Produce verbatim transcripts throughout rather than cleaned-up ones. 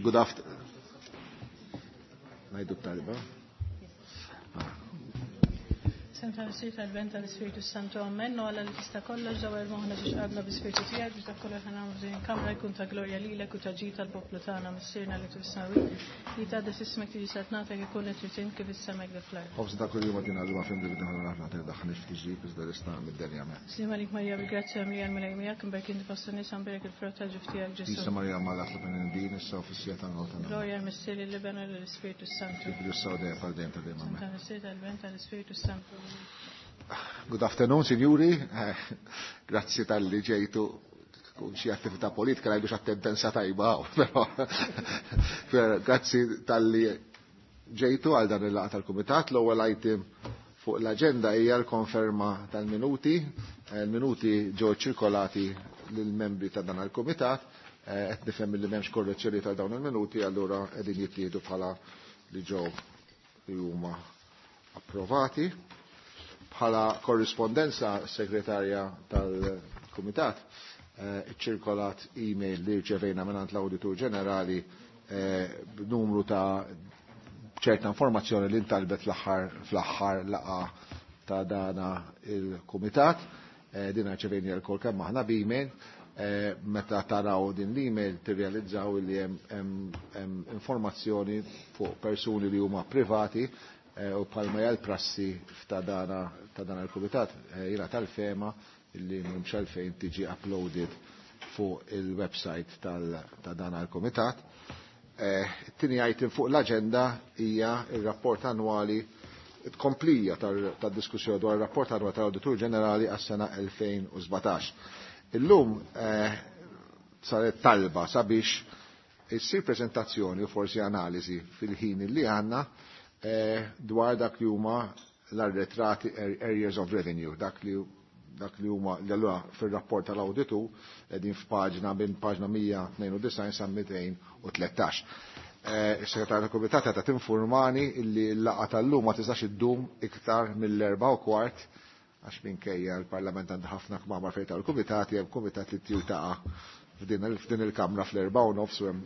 Good afternoon. Ngħidu t-talba. Sem tal-Missier tal-Ben tal-Ispirtu Santu Amen. No Alla li tista' kollox dawar moħħna biex qalbna bi-Spirtu tiegħek biex dak kollu ħa nagħmlu f'din il-kamra jkun ta' glorja lilek u ta' ġid tal-poplu tagħna Missierna li fis-smewwiet. Li tgħaddes ismek tiġi saltnatek ikun qed trid kif is-sema kif fl-art. Ħobż ta' kuljum agħtina llum aħfir dnubietna aħna daħħalniex f'tiġrib iżda ħlisna mid-deni amen. Sliem għalik Marija bil-grazzja mimlija l-Mulej miegħek imberek inti fost in-nisa mberek il-frott tal-ġuf tiegħek Ġesù. Qaddisa Marija Omm Alla itlob għalina issa u fis-siegħa tal-mewt tagħna. Glorja lill-Missier lill-Iben u lill-Ispirtu Santu. Kif issa u dejjem għal dejjem ta' dejjem amen. Tal-Missier tal-Ben tal-Ispirtu Santu. Good afternoon, signori. Eh, grazzi talli ġejtu kun xi attività politika ngħidu attendenza tajba, però grazzi talli ġejtu għal dan il-laqgħa tal-kumitat. L-ewwel item fuq l-aġenda hija l-konferma tal-minuti. Eh, Il-minuti ġew ċirkolati lill-membri ta' dan il-kumitat. Eh, qed nifhem li m'hemmx korrezzjoni ta' dawn il-minuti, allura qegħdin jittieħdu bħala li ġew li huma approvati. Bħala korrispondenza segretarja tal-Kumitat eh, ċirkolat email li rċevejna mingħand l-Awditur Ġenerali eh, b'numru ta' ċerta informazzjoni li ntalbet fl-aħħar fl-aħħar laqgħa ta' dana il-Kumitat. Eh, din rċevejna l-kol kemm aħna b'email. Eh, meta taraw din l-email tirrealizzaw li hemm hemm informazzjoni fuq persuni li huma privati eh, u bħalma hija l-prassi ta' dana ta' dan il-kumitat eh, jiena tal-fehma illi m'hemmx għalfejn tiġi uploaded fuq il-website ta' dan il-kumitat. It-tieni item fuq l-aġenda hija il-rapport annwali tkomplija tad-diskussjoni dwar ir-rapport annwali tal-Awditur Ġenerali għas-sena elfejn u sbatax. Illum eh, saret talba sabiex issir prezentazzjoni u forsi analiżi fil-ħin li għandna eh, dwar dak li huma l-arretrati areas of revenue, dak li dak li huma li allura fir-rapport tal-awditu qegħdin f'paġna minn paġna mija tnejn u disgħin sa mitejn u tlettax. Eh, is-segretarju tal-Kumitat qed tinfurmani illi l-laqgħa tal-lum ma tistax iddum iktar mill-erba' u kwart għax minkejja l-Parlament għandu ħafna kmamar fejn tal-kumitati, hemm kumitat li tiltaqa' f'din il-kamra fl-erba' u nofs u hemm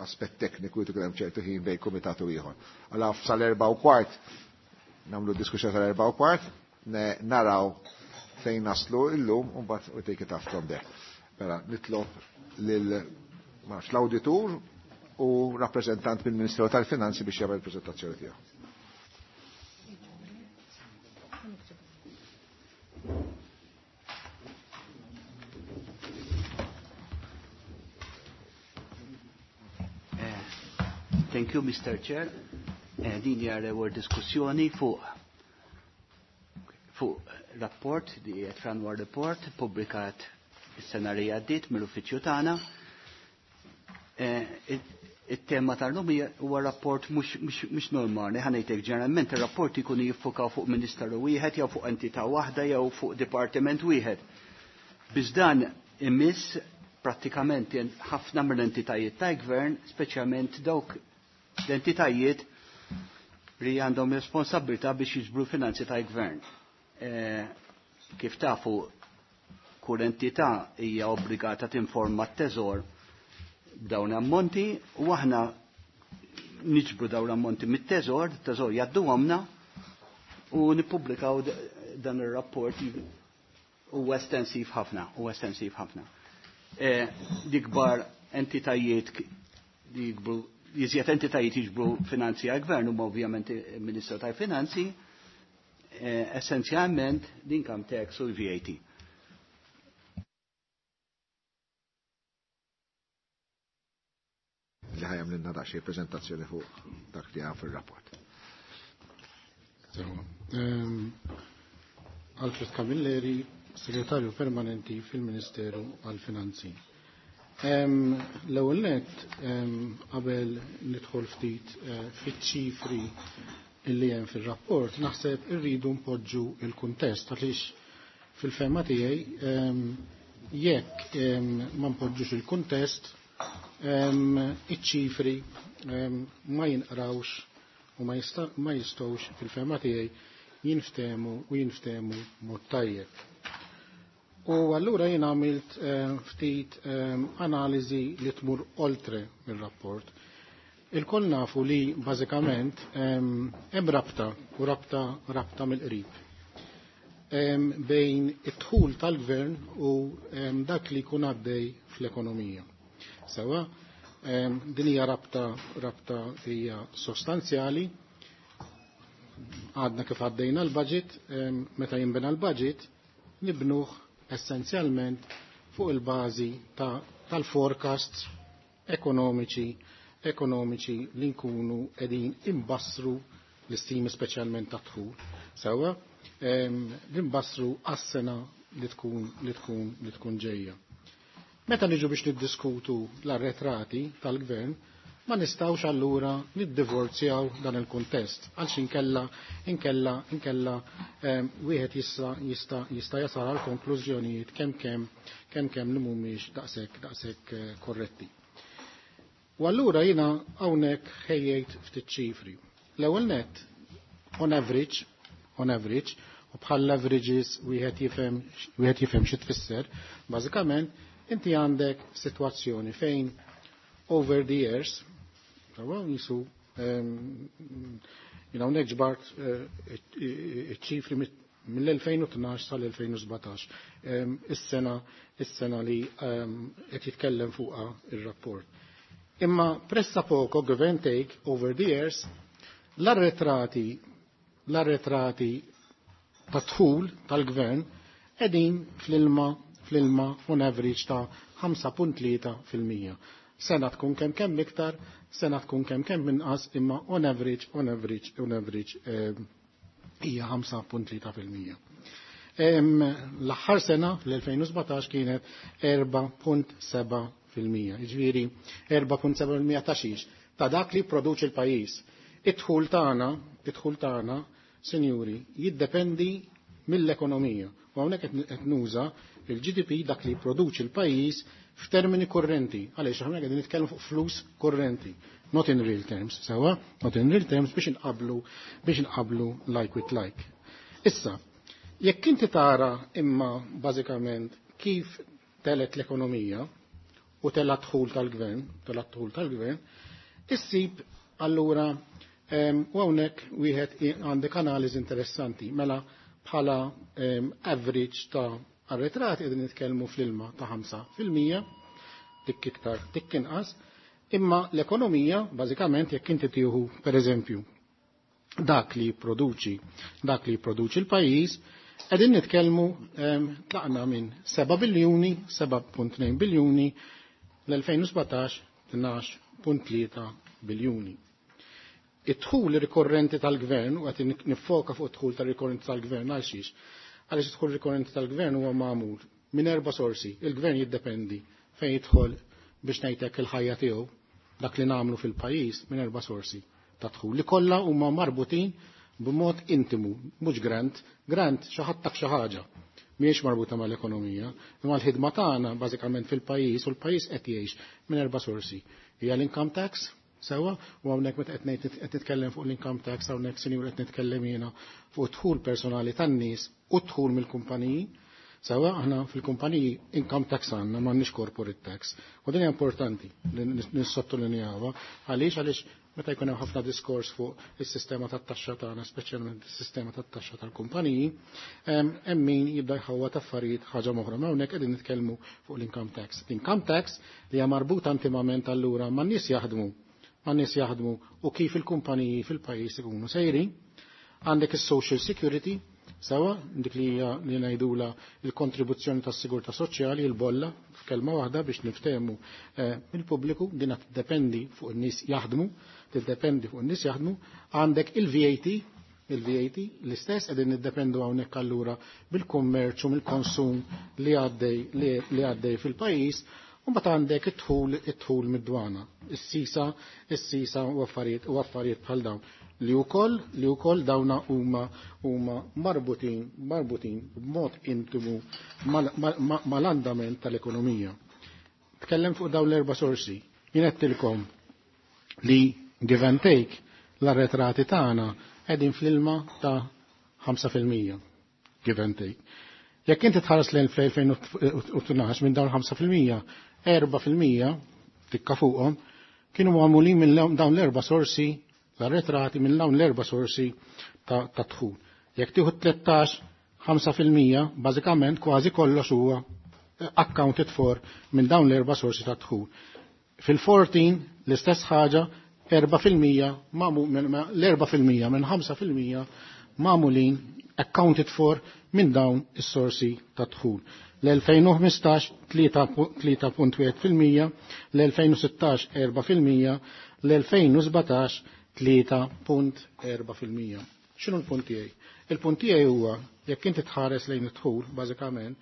aspett tekniku jrid ikun hemm ċertu ħin bejn kumitat u ieħor. Allura sal-erba' u kwart nagħmlu diskussjoni tal-erba' u kwart, naraw fejn naslu illum u mbagħad we take it up from there. Mela nitlob lil l-awditur u rappreżentant mill-Ministeru tal-Finanzi biex jagħmel il-preżentazzjoni tiegħu. Thank you, Mister Chair. Eh, din hija l-ewwel diskussjoni fuq fuq rapport, di qed annual report, pubblikat is-sena li għaddiet mill-uffiċċju tagħna. Eh, it-tema tal-lum huwa rapport mhux normali, ħa ngħidlek ġeneralment ir-rapport ikunu jiffukaw fuq ministeru wieħed jew fuq entità waħda jew fuq dipartiment wieħed. Biss dan imiss prattikament ħafna mill-entitajiet tal-gvern, speċjalment dawk l-entitajiet li għandhom responsabilità biex jiġbru finanzi tal-gvern. Eh, kif tafu, kull entità hija obbligata tinforma t-teżor b'dawn ammonti u aħna niġbru dawn ammonti mit-teżor, t-teżor jgħaddu għamna u nippubblikaw dan ir-rapport huwa estensiv ħafna, huwa estensiv ħafna. Eh, Dikbar entitajiet li jikbru, jiżjed entitajiet jiġbru finanzi għal-gvern huma ovvjament il-Ministru tal-Finanzi, eh, essenzjalment l-income tax u l-V A T. Li ħajam lilna daqsxejn prezentazzjoni fuq dak li għam fil-rapport. Ehm, Alfred Camilleri, segretarju permanenti fil-Ministeru għal-Finanzi. Ehm, l-ewwel nett, ehm, qabel nidħol ftit, eh, fiċ-ċifri illi hemm fir-rapport, naħseb irridu npoġġu il-kuntest għaliex fil-fehma tiegħi, ehm, jekk, ehm, ma npoġġux il-kuntest, ehm, iċ-ċifri, ehm, ma jinqrawx u ma jista-, ma jistgħux fil-fehma tiegħi jinftehmu u jinftehmu mod tajjeb. U allura jien għamilt ftit analiżi li tmur oltre mir-rapport. Il-koll nafu li bażikament hemm rabta u rabta rabta mill-qrib bejn id-dħul tal-gvern u dak li jkun għaddej fl-ekonomija. Sewa, din hija rabta rabta hija sostanzjali. Għadna kif għaddejna l-budget, meta jinbena l-budget, nibnuh essenzjalment fuq il-bażi tal-forecasts ekonomiċi ekonomiċi li nkunu qegħdin imbassru l-istimi speċjalment ta' dħul. Sewa, li nbassru għas-sena li tkun li tkun li tkun ġejja. Meta niġu biex niddiskutu l-arretrati tal-gvern, ma nistawx allura niddivorzjaw dan il-kuntest għalx inkella inkella inkella wieħed jista' jista' jista' jasal għal konklużjonijiet kemm kemm kemm kemm li mhumiex daqshekk daqshekk korretti. U allura jiena hawnhekk ħejjejt ftit ċifri. L-ewwel nett, on average, on average, u bħal averages wieħed jifhem wieħed jifhem xi tfisser, bażikament inti għandek sitwazzjoni fejn over the years, sawa jisu jina hawnhekk ġbart iċ-ċifri mill-elfejn u tnax sal-elfejn u sbatax, is-sena is-sena li qed jitkellem fuqha ir-rapport. Imma pressa poco give and take over the years l-arretrati l-arretrati ta' dħul tal-gvern qegħdin fl-ilma fl-ilma on average ta' ħamsa punt tlieta fil-mija. Sena tkun kemm kemm iktar, sena tkun kemm kemm inqas, imma on average, on average, on average hija ħamsa punt tlieta fil-mija. L-aħħar sena fl-elfejn u sbatax kienet erba' punt seba' fil-mija. Jiġifieri erba' punt seba' fil-mija ta' xiex? Ta' dak li produċi l-pajjiż. Id-dħul tagħna, id-dħul tagħna, sinjuri, jiddependi mill-ekonomija. U hawnhekk qed nuża il-G D P dak li jipproduċi l-pajjiż f'termini korrenti. Għaliex aħna qegħdin nitkellmu fuq flus korrenti, not in real terms, sewa, not in real terms biex inqablu biex inqablu like with like. Issa, jekk inti tara imma bażikament kif telet l-ekonomija u tela dħul tal-gvern, tela dħul tal-gvern, issib allura u hawnhekk wieħed għandek analiżi interessanti, mela bħala average ta' arretrati qegħdin nitkellmu fl-ilma ta' ħamsa fil-mija, dik iktar, dik inqas, imma l-ekonomija bażikament jekk inti tieħu pereżempju dak li jipproduċi, dak li jipproduċi l-pajjiż, qegħdin nitkellmu tlaqna minn seba' biljuni, seba' punt tnejn biljuni, l-elfejn u sbatax tnax punt tlieta biljuni. Id-dħul rikorrenti tal-gvern, u qed nifoka fuq id-dħul tal-rikorrenti tal-gvern għal xiex, għaliex id-dħul rikorrenti tal-gvern huwa magħmul minn erba' sorsi. Il-gvern jiddependi fejn jidħol biex ngħidlek il-ħajja tiegħu, dak li nagħmlu fil-pajjiż minn erba' sorsi ta' dħul li kollha huma marbutin b'mod intimu, mhux grant, grant xi ħadd tak xi ħaġa. Mhijiex marbuta mal-ekonomija, imma l-ħidma tagħna bażikament fil-pajjiż u l-pajjiż qed jgħix minn erba' sorsi. Hija l-income tax, sewa, u hawnhekk meta qed ngħid qed nitkellem fuq l-income tax, hawnhekk sinjur qed nitkellem jiena fuq dħul personali tan-nies u dħul mill-kumpaniji. Sewa, aħna fil-kumpaniji income tax għandna, m'għandniex corporate tax. U din hija importanti li nissottolinjawha għaliex għaliex meta jkun hemm ħafna diskors fuq is-sistema tat-taxxa tagħna, speċjalment is-sistema tat-taxxa tal-kumpaniji, hemm min jibda jħawwad affarijiet ħaġa oħra. Ma hawnhekk qegħdin nitkellmu fuq l-income tax. L-income tax li hija marbuta intimament allura man-nies jaħdmu, man-nies jaħdmu u kif il-kumpaniji fil-pajjiż ikunu sejrin. Għandek is-social security, sewa, dik li hija li ngħidula il-kontribuzzjoni tas-sigurtà soċjali, il-bolla, f'kelma waħda biex niftehmu, eh, mill-pubbliku, din tiddependi fuq in-nies jaħdmu, tiddependi fuq in-nies jaħdmu. Għandek il-V A T, il-V A T l-istess qegħdin niddependu hawnhekk allura bil-kummerċ u mill-konsum li għaddej, li, li għaddej fil-pajjiż. U mbagħad għandek id-dħul, id-dħul mid-dwana, is-sisa, is-sisa u affarijiet, u affarijiet bħal dawn li wkoll, li wkoll dawna huma, huma marbutin, marbutin b'mod intimu mal-, mal-, mal-, mal-andament tal-ekonomija. Tkellem fuq dawn l-erba' sorsi. Jien għedtilkom li give and take l-arretrati tagħna qegħdin fl-ilma ta' ħamsa fil-mija, give and take. Jekk inti tħares lejn fl-elfejn u tnax, minn dawn ħamsa fil-mija, erbgħa fil-mija tikka fuqhom kienu magħmulin minn dawn l-erba' sorsi l-arretrati, minn dawn l-erba' sorsi ta' dħul. Jekk tieħu tlettax, ħamsa fil-mija, bażikament kważi kollox huwa accounted for minn dawn l-erba' sorsi ta' dħul. Fil-erbatax l-istess ħaġa, erbgħa fil-mija, l-erbgħa fil-mija minn ħamsa fil-mija magħmulin, accounted for, minn dawn is-sorsi ta' dħul. L-elfejn u ħmistax tlieta punt wieħed fil-mija, l-elfejn u sittax erbgħa fil-mija, l-elfejn u sbatax tlieta punt erbgħa fil-mija. X'inhu l-punt tiegħi? Il-punt tiegħi huwa jekk inti tħares lejn id-dħul, bażikament,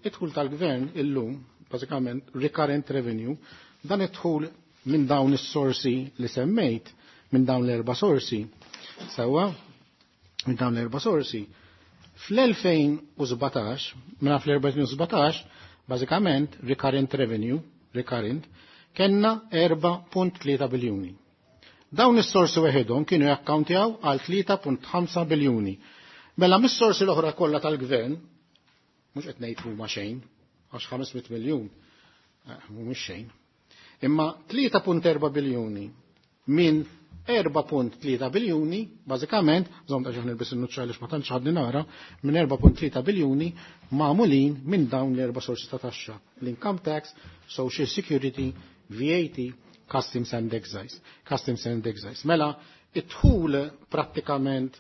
id-dħul tal-gvern illum, bażikament recurrent revenue, dan id-dħul minn dawn is-sorsi li semmejt, minn dawn l-erba' sorsi, sewwa, minn dawn l-erba' sorsi, fl-elfejn u sbatax, minna fl-elfejn u sbatax, bażikament recurrent revenue, recurrent, kellna erbgħa punt tlieta biljuni. Dawn is-sorsi weħidhom kienu jakkawntjaw għal tlieta punt ħamsa biljuni. Mela mis-sorsi l-oħra kollha tal-gvern, mhux qed ngħid huma xejn, għax ħames mitt miljun eh, mhumiex xejn. Imma tlieta punt erbgħa biljuni minn erbgħa punt tlieta biljuni, bażikament, żomm ta' ġaħ nilbis in-nuċċa għaliex ma tantx ħadni nara, minn erbgħa punt tlieta biljuni magħmulin minn dawn l-erba' sorsi ta' taxxa: l-income tax, social security, V A T, customs and excise. Customs and excise. Mela, id-dħul prattikament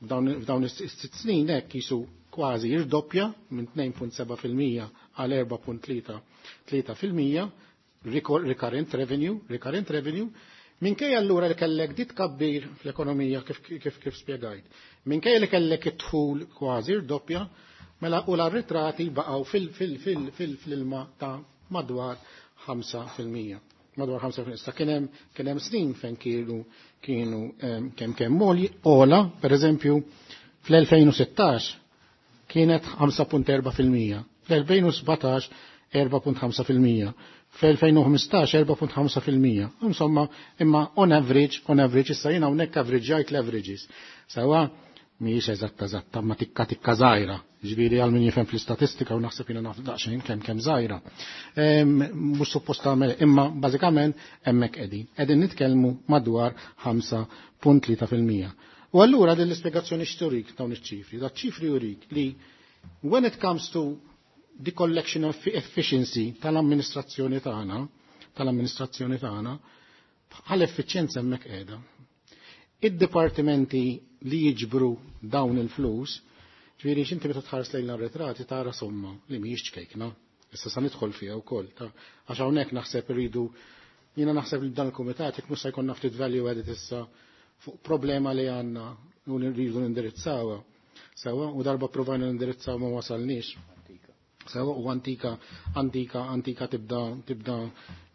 f'dawn is-sitt snin hekk jisu kważi jirdoppja minn tnejn punt sebgħa fil-mija għal erbgħa punt tlieta fil-mija recurrent revenue, recurrent revenue, minkejja allura li kellek dit kabbir fl-ekonomija kif, kif, kif spjegajt. Minkejja li kellek id-dħul kważi rdoppja, mela u l-arretrati baqgħu fil-ilma ta' madwar ħamsa fil-mija. Madwar ħamsa fil-mija. Issa kien hemm kien hemm snin fejn kienu kienu kemm kemm ola, per eżempju, fl-elfejn u sittax kienet ħamsa punt erbgħa fil-mija, fl-elfejn u sbatax erbgħa punt ħamsa fil-mija, fl-elfejn u ħmistax erbgħa punt ħamsa fil-mija. Insomma, imma on average, on average, issa jiena hawnhekk average l-averages. Sewwa, mhijiex eżatta eżatta, ma tikka tikka żgħira. Ġifieri għal min jifhem fl-istatistika, u naħseb jiena naf daqsxejn kemm kemm żgħira. Mhux suppost tagħmel, imma bażikament hemmhekk qegħdin. Qegħdin nitkellmu madwar ħamsa punt tlieta fil-mija. U allura din l-ispjegazzjoni x'turik dawn iċ-ċifri? Da ċifri jurik li when it comes to the collection of efficiency tal-amministrazzjoni tagħna, tal-amministrazzjoni tagħna, bħal effiċjenza hemmhekk qiegħda. Id-dipartimenti li jiġbru dawn il-flus, ġifieri x'inti meta tħares lejn l-arretrati tara somma li mhijiex ċkejkna. Issa sa nidħol fiha wkoll, ta' għax hawnhekk naħseb irridu, jiena naħseb li dan il-kumitat jekk mhux se jkollna ftit value added issa fuq problema li għandna u rridu nindirizzawha. Sewwa, u darba provajna nindirizzaw, ma wasalniex. Sewwa, u antika, antika, antika, tibda tibda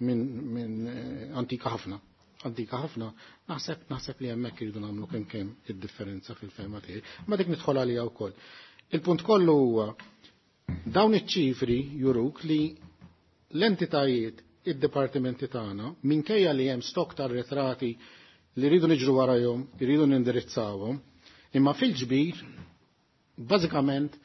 minn min eh, antika ħafna. Antika ħafna, naħseb naħseb li hemmhekk iridu nagħmlu kemm kemm id-differenza fil-fehma tiegħi. Ma dik nidħol għalija wkoll. Il-punt kollu huwa dawn iċ-ċifri juruk li l-entitajiet, id-dipartimenti tagħna, minkejja li hemm stok tar-retrati li rridu niġru warajhom, rridu nindirizzawhom, imma fil-ġbir bażikament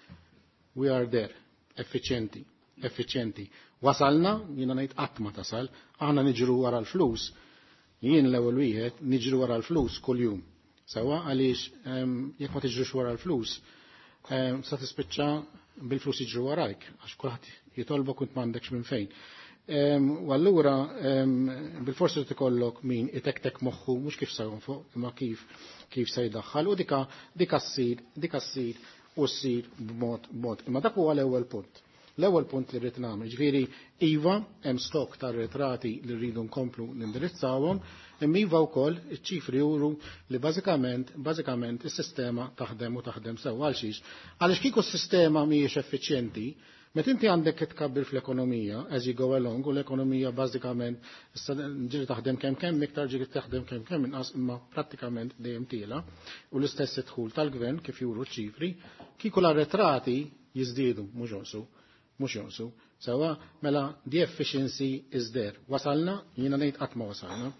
we are there, effiċjenti, effiċjenti. Wasalna, jiena ngħid qatt ma tasal, aħna niġru wara l-flus, jien l-ewwel wieħed niġru wara l-flus kuljum. Sewwa, għaliex jekk ma tiġrux wara l-flus, sa tispiċċa bil-flus jiġru warajk, għax kulħadd jitolbok u m'għandekx minn fejn. U allura bil-forsi tikollok min itektek moħħu mhux kif se jonfoq imma kif kif se jdaħħal u dika dika ssir dika ssir u ssir b'mod b'mod. Imma dak huwa l-ewwel punt. L-ewwel punt li rrid nagħmel, ġifieri iva hemm stok ta' retrati li rridu nkomplu nindirizzawhom, imma iva wkoll iċ-ċifri juru li bażikament bażikament is-sistema taħdem u taħdem sew. Għal xiex? Għaliex kieku s-sistema mhijiex effiċjenti, meta inti għandek tkabbir fl-ekonomija, as you go along, u l-ekonomija bażikament issa ġiri taħdem kemm kemm iktar, ġiri taħdem kemm kemm inqas, imma prattikament dejjem tiela, u l-istess idħul tal-gvern kif juru ċifri, kieku l-arretrati jiżdiedu, mhux jonqsu, mhux jonqsu. Sewwa, mela the efficiency is there. Wasalna, jiena ngħid qatt ma wasalna.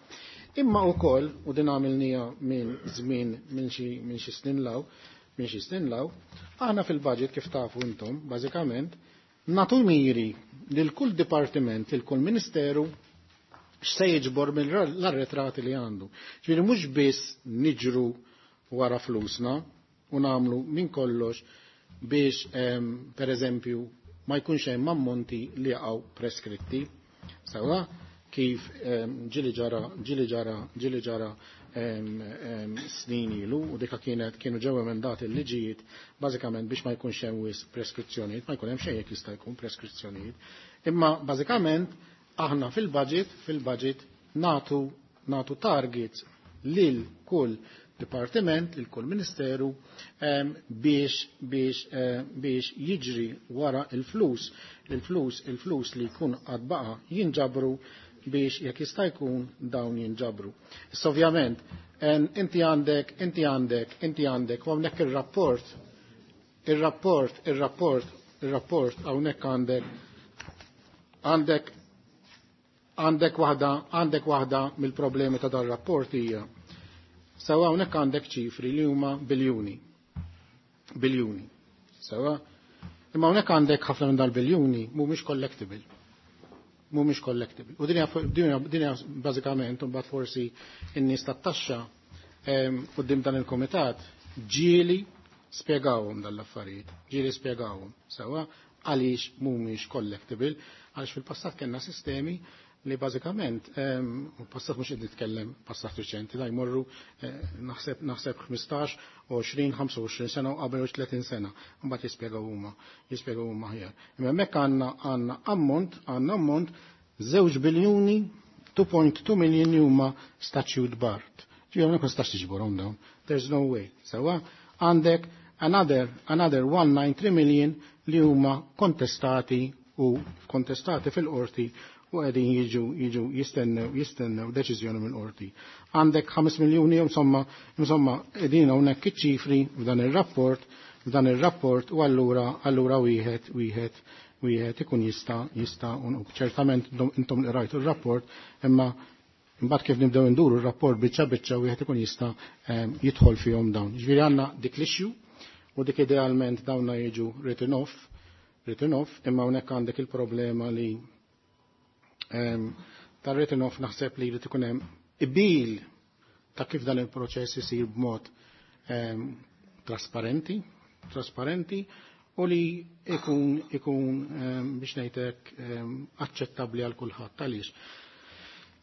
Imma wkoll, u din għamilnija minn żmien minn xi minn xi snin law, Minn xi snin law, aħna fil-budget kif tafu intom, bażikament, natu miri lil kull dipartiment, lil kull ministeru x'se jiġbor mill-arretrati li għandu. Ġifieri mhux biss niġru wara flusna u nagħmlu minn kollox biex per eżempju ma jkunx hemm ammonti li jaqgħu preskritti. Sewwa kif ġili ġara ġili ġara ġili ġara snin ilu u dika kienet kienu ġew emendati l-liġijiet bażikament biex ma jkunx hemm wisq preskrizzjonijiet, ma jkun hemm xejn jekk jista' jkun preskrizzjonijiet. Imma bażikament aħna fil-budget fil-budget natu natu targets lil kull dipartiment, lil kull ministeru biex biex biex jiġri wara il-flus, il-flus il-flus li jkun għad baqa' jinġabru biex jekk jista' jkun dawn jinġabru. Issa ovvjament inti għandek, inti għandek, inti għandek, u hawnhekk ir-rapport, ir-rapport, ir-rapport, ir-rapport hawnhekk għandek għandek għandek waħda, għandek waħda mill-problemi ta' dar-rapport hija. Sewa hawnhekk għandek ċifri li huma biljuni. Biljuni. Sewa. Imma hawnhekk għandek ħafna minn dal-biljuni mhumiex collectible. Mhumiex collectible. U din hija din hija bażikament imbagħad forsi n-nies tat-taxxa quddiem dan il-kumitat ġieli spjegawhom dal-affarijiet, ġieli spjegawhom. Sewa għaliex mhumiex collectible, għaliex fil-passat kellna sistemi li bażikament u passat mhux qed nitkellem passat riċenti, da jmorru naħseb naħseb ħmistax, għoxrin, ħamsa u għoxrin sena u qabel tletin sena, mbagħad jispjegaw huma, jispjegaw huma aħjar. Imma hemmhekk għandna għandna ammont, għandna ammont żewġ biljuni two point two million huma statute barred. Ġifieri hawnhekk ma tistax tiġborhom dawn. There's no way. Sewwa għandek another another one nine three million li huma kontestati u kontestati fil-qorti u qegħdin jiġu jiġu jistennew jistennew deċiżjoni mill-qorti. Għandek ħames miljuni insomma insomma qegħdin hawnhekk iċ-ċifri f'dan ir-rapport f'dan ir-rapport u allura allura wieħed wieħed wieħed ikun jista' jista' u ċertament intom li rajtu r-rapport, imma imbagħad kif nibdew induru r-rapport biċċa biċċa wieħed ikun jista' jidħol fihom dawn. Ġifieri għandna dik l-issue u dik idealment dawna jiġu written off, written off, imma hawnhekk għandek il-problema li tar-written off naħseb li jrid ikun hemm qbil ta' kif dan il-proċess isir b'mod trasparenti, trasparenti u li ikun, ikun biex ngħidlek aċċettabbli għal kulħadd. Għaliex?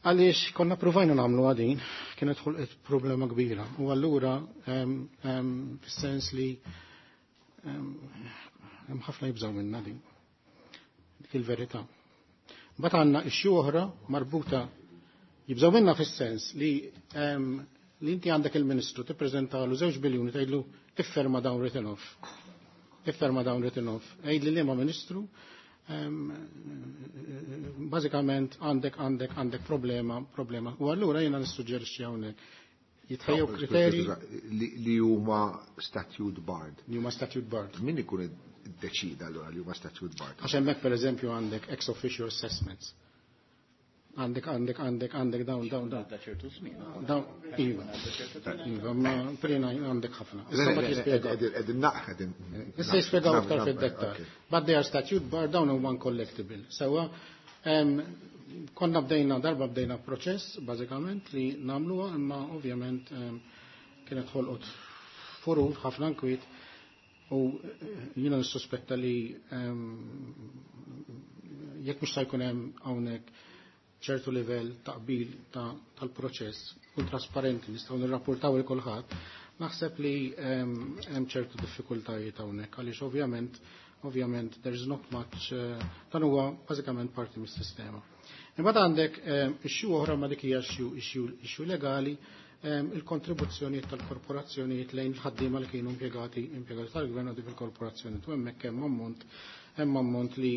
Għaliex konna provajna nagħmlu għadin, kienet ħolqet problema kbira. U allura fis-sens li hemm ħafna jibżgħu minna din. Dik il-verità. Mbagħad għandna issue oħra marbuta jibżgħu minna fis-sens li li inti għandek il-Ministru tippreżentalu żewġ biljuni tgħidlu ifferma dawn written off. Ifferma dawn written off. Għidli liema Ministru bażikament għandek għandek għandek problema, problema. U allura jiena nissuġġerixxi hawnhekk jitħejjew kriterji li huma statute barred. Li huma statute barred. Min ikun iddeċida allura li huma statute barred? Għax hemmhekk pereżempju għandek ex officio assessments. Għandek, għandek, għandek, għandek dawn, dawn, dawn. Għadda ċertu żmien. Dawn, iva. Iva, ma prina għandek ħafna. Issa mbagħad jispjegaw. Qegħdin naqħ, qegħdin Issa jispjegaw iktar fid-dettall. But they are statute barred, dawn huma uncollectible. Sewwa, konna bdejna, darba bdejna proċess, bażikament, li nagħmluha, imma ovvjament kienet ħolqot furur ħafna nkwiet u jiena nissuspetta li jekk mhux se jkun hemm hawnhekk ċertu livell ta' qbil tal-proċess kun trasparenti nistgħu nirrapportaw lil kulħadd, naħseb li hemm ċertu diffikultajiet hawnhekk għaliex ovvjament ovvjament there is not much, dan huwa bażikament parti mis-sistema. Imbagħad għandek issue oħra ma dik hija issue, issue legali, il-kontribuzzjonijiet tal-korporazzjonijiet lejn il-ħaddiema li kienu impjegati, impjegati tal-gvern u dik il-korporazzjoni. U hemmhekk hemm ammont, hemm ammont li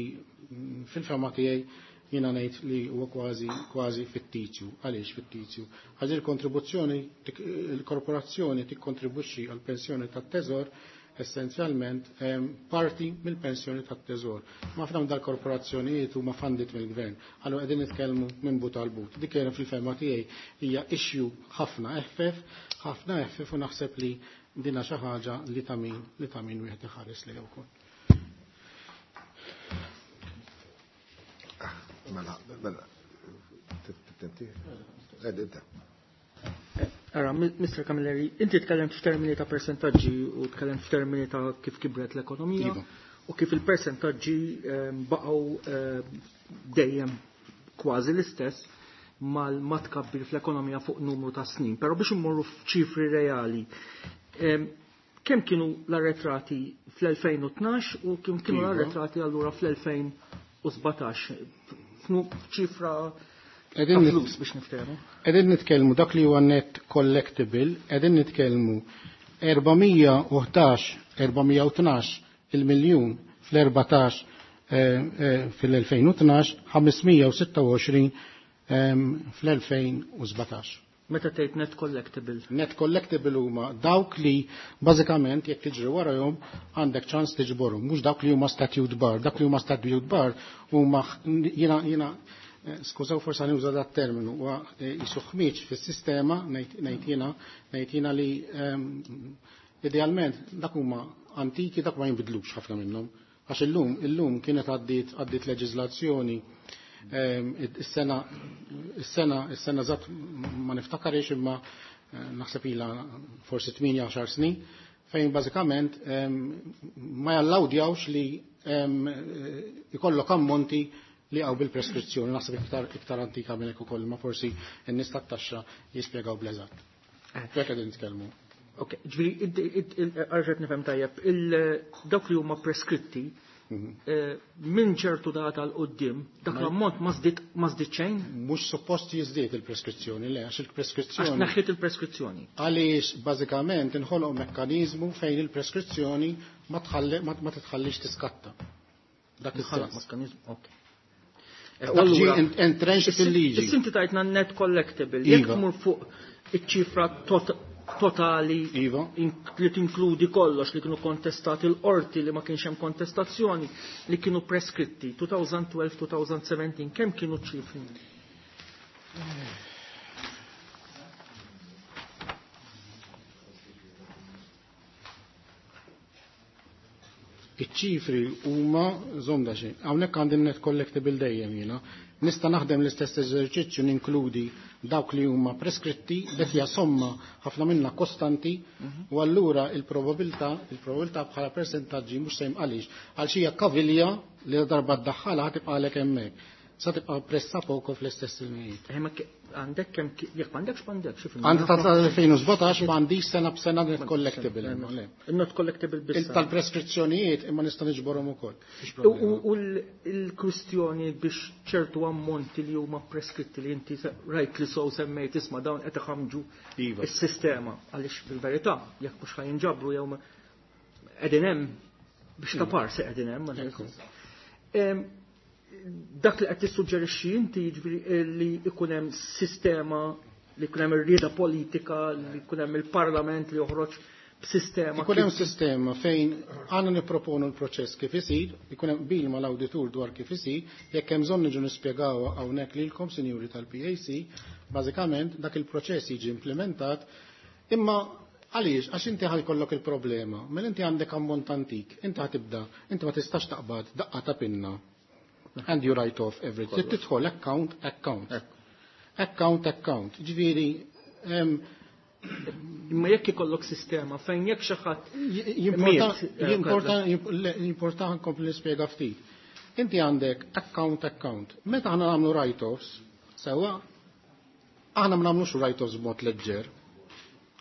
fil-fema tiegħi jiena ngħid li huwa kważi, kważi fittizju. Għaliex fittizju? Għax il-kontribuzzjoni, il-korporazzjoni tikkontribwixxi għall pensjoni tat-teżor essenzjalment parti mill-pensjoni tat-teżor. Ma f'dawn dal-korporazzjonijiet huma funded mill-gvern. Allura qegħdin nitkellmu minn but għal but. Dik kienet fil-fema tiegħi hija issue ħafna eħfef, ħafna eħfef u naħseb li Dina xi ħaġa li ta' min li ta' min wieħed iħares lejha wkoll. Mela, mela, tenti? Ed, Ara, Mister Camilleri, inti tkellimt f'termini ta' persentaġġi u tkellimt f'termini ta' kif kibret l-ekonomija u kif il-persentaġġi baqgħu dejjem kważi l-istess mal-ma tkabbir fl-ekonomija fuq numru ta' snin. Però biex immorru f'ċifri reali, kemm kienu l-arretrati fl-elfejn u tnax u kemm kienu l-arretrati allura fl-elfejn u sbatax? F'ċifra ta' flus biex niftehmu. Qegħdin nitkellmu dak li huwa net collectible, qegħdin nitkellmu erba' mija u ħdax, erba' mija u tnax il-miljun fl-erbatax fil-elfejn u tnax, ħames mija u sitta u għoxrin fl-elfejn u sbatax. Meta tgħid net collectible? Net collectible huma dawk li bażikament jekk tiġri warahom għandek ċans tiġborhom, mhux dawk li huma statute bar, dak li huma statute bar huma jiena jiena skużaw forsa nuża dat terminu, huwa jisu ħmiġ fis-sistema ngħid jiena ngħid jiena li idealment dak huma antiki, dak ma jinbidlux ħafna minnhom. Għax illum, illum kienet għaddiet għaddiet leġiżlazzjoni is-sena is-sena is-sena żatt ma niftakarx imma naħseb ilha forsi tmienja għaxar snin fejn bażikament ma jallawdjawx li ikollok ammonti li għaw bil-preskrizzjoni, naħseb iktar, iktar antika minn hekk ukoll, ma forsi n-nies tat-taxxa jispjegaw bl-eżatt. Hekk qegħdin nitkellmu. Ok, ġifieri, għarġet nifhem tajjeb, dawk li huma preskritti, minn ċertu data l qoddim, dak l-ammont ma żdied, ma żdied xejn? Mhux suppost jiżdied il-preskrizzjoni, le, għax il-preskrizzjoni. Għax naħħiet il-preskrizzjoni. Għaliex bażikament inħoloq mekkaniżmu fejn il-preskrizzjoni ma tħalli, ma, ma titħallix tiskatta. Dak Inħoloq is-sens. mekkaniżmu, ok. Dak ġie entrenched fil-liġi. Is-sinti tajtna net collectible, jekk Iva. tmur fuq iċ-ċifra tot-, totali Iva. li tinkludi kollox li kienu kontestati l-qorti li ma kienx hemm kontestazzjoni li kienu preskritti twenty twelve twenty seventeen, kemm kienu ċifri? Iċ-ċifri huma żomda xejn. Hawnhekk għandi net collectible dejjem jiena. Nista' naħdem l-istess eżerċizzju ninkludi dawk li huma preskritti, dak hija somma ħafna minnha kostanti, u allura il-probabilità, il-probabilità bħala persentaġġi mhux sejm għaliex, għal xi hija kavilja li darba ddaħħalha ħatibqalek hemmhekk. Sa tibqa' pressa poco fl-istess ilmijiet. Eh, ma ke-, għandek kemm ki-, jekk m'għandekx m'għandekx, xi fil-mija? Għandi ta' elfejn u sbatax m'għandix sena b'sena net collectible, imma le. Not collectible biss. Il tal-preskrizzjonijiet imma nista' niġborhom ukoll. Mhix U, problema. u, u l-, il-kwistjoni biex ċertu ammonti li huma preskritti li inti se-, rajt li sow semmejt isma' dawn qed iħamġu Iva. is-sistema għaliex fil-verità jekk mhux ħajinġabru jew ma-, qegħdin hemm biex ta' par se qegħdin hemm, ma Ekku. Em, dak li qed tissuġġerixxi inti jiġifieri li jkun hemm sistema, li jkun hemm ir-rieda politika, li jkun hemm il-Parlament li joħroġ b'sistema. Ikun hemm kif sistema fejn għandna nipproponu l-proċess kif isir, ikun hemm qbil mal-awditur dwar kif isir, jekk hemm bżonn niġu nispjegawha hawnhekk lilkom, sinjuri tal-P A C, bażikament dak il-proċess jiġi implementat, imma għaliex? Għax inti ħajkollok il-problema, mela inti għandek ammont antik, inti ħatibda, inti ma tistax taqbad daqqa ta' pinna. And you write off everything. Kollox. Tidħol account, account. Ekku. Account, account. Ġifieri, em, Imma jekk ikollok sistema fejn jekk xi ħadd Jimporta, miet, eh, jimporta, jimp-, le, jimporta nkompli nispjega ftit. Inti għandek account, account. Meta aħna nagħmlu write-offs, sewwa, aħna ma nagħmlux write-offs b'mod leġġer.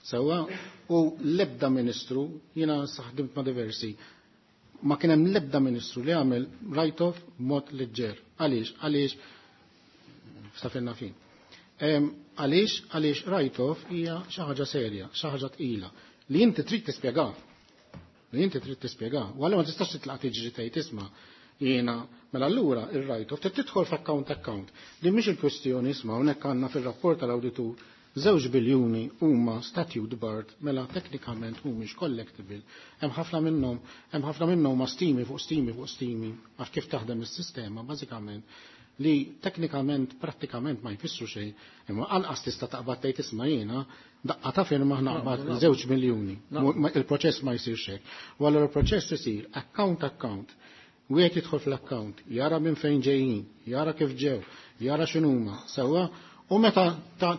Sewwa, u l-ebda ministru, jiena saħdimt ma' diversi, ma kien hemm l-ebda ministru li għamel write-off b'mod leġġer. Għaliex? Għaliex? Stafilna fin. Em, għaliex? Għaliex write-off hija xi ħaġa serja, xi ħaġa tqila li inti trid tispjega. Li inti trid tispjega. U allura ma tistax titlaq tiġri tgħid isma' jiena mela allura ir-write-off trid tidħol f'account account. Din mhix il-kwestjoni isma' hawnhekk għandna fir-rapport tal-awditur Żewġ biljuni huma statute barred, mela teknikament mhumiex collectible. Hemm ħafna minnhom, hemm ħafna minnhom huma stimi fuq stimi fuq stimi, għax kif taħdem is-sistema bażikament li teknikament prattikament ma jfissru xejn, imma anqas tista' taqbad tgħid isma' jiena daqqa ta' firma naqbad żewġ miljuni. Il-proċess ma jsirx hekk. U allura il-proċess isir account account. Wieħed jidħol fl-account, jara minn fejn ġejjin, jara kif ġew, jara x'inhuma, sewwa. U meta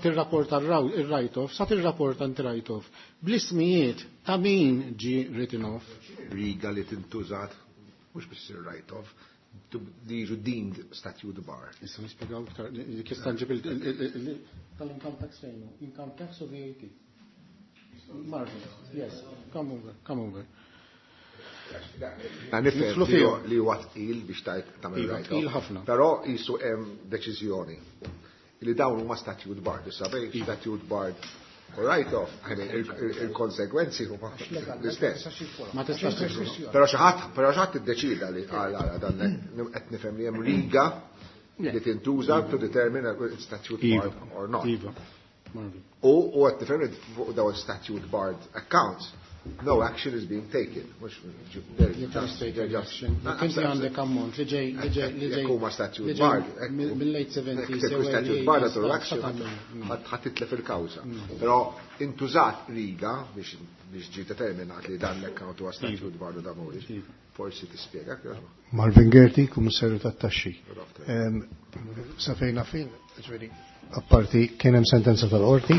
tirrapporta il-write-off, sa tirrapporta write-off bl-ismijiet ta' min ġi written off. Riga li tintużat, mhux biss il-write-off, li jiġu deemed statute barred. Issa nispjegaw iktar, kif ġib tal-income tax fejnu, income tax u V A T. Marvin, yes, come over, come over. Nifhem li huwa tqil biex tajt tagħmel Iva, write-off. Ħafna. Però jisu hemm deċiżjoni li dawn huma statute barred, issa bejn statute barred u write-off, I mean, il-konsegwenzi huma l-istess. Ma tistax. Però xi ħadd, però xi ħadd iddeċida li għal għal dan qed nifhem li hemm riga li tintuża to determine if statute Iva. barred or not. Iva. Marvin. U u qed nifhem li fuq dawn statute barred accounts, no action is being taken. Mhux You can take action. Inti għandek ammont li ġej li ġej li ġej Jekk huma statute li ġej barred, mill-late seventies jekk jew statute early barred eighties, għadu action ta' ħadd titlef il-kawża. Però intużat riga biex biex ġi determinat li dan l-account huwa statute barred u dan mhuwiex. Forsi tispjega. Marvin Gerti, Kummissarju tat-Taxxi. Em, Sa fejna fin, ġifieri, apparti kien hemm sentenza tal-qorti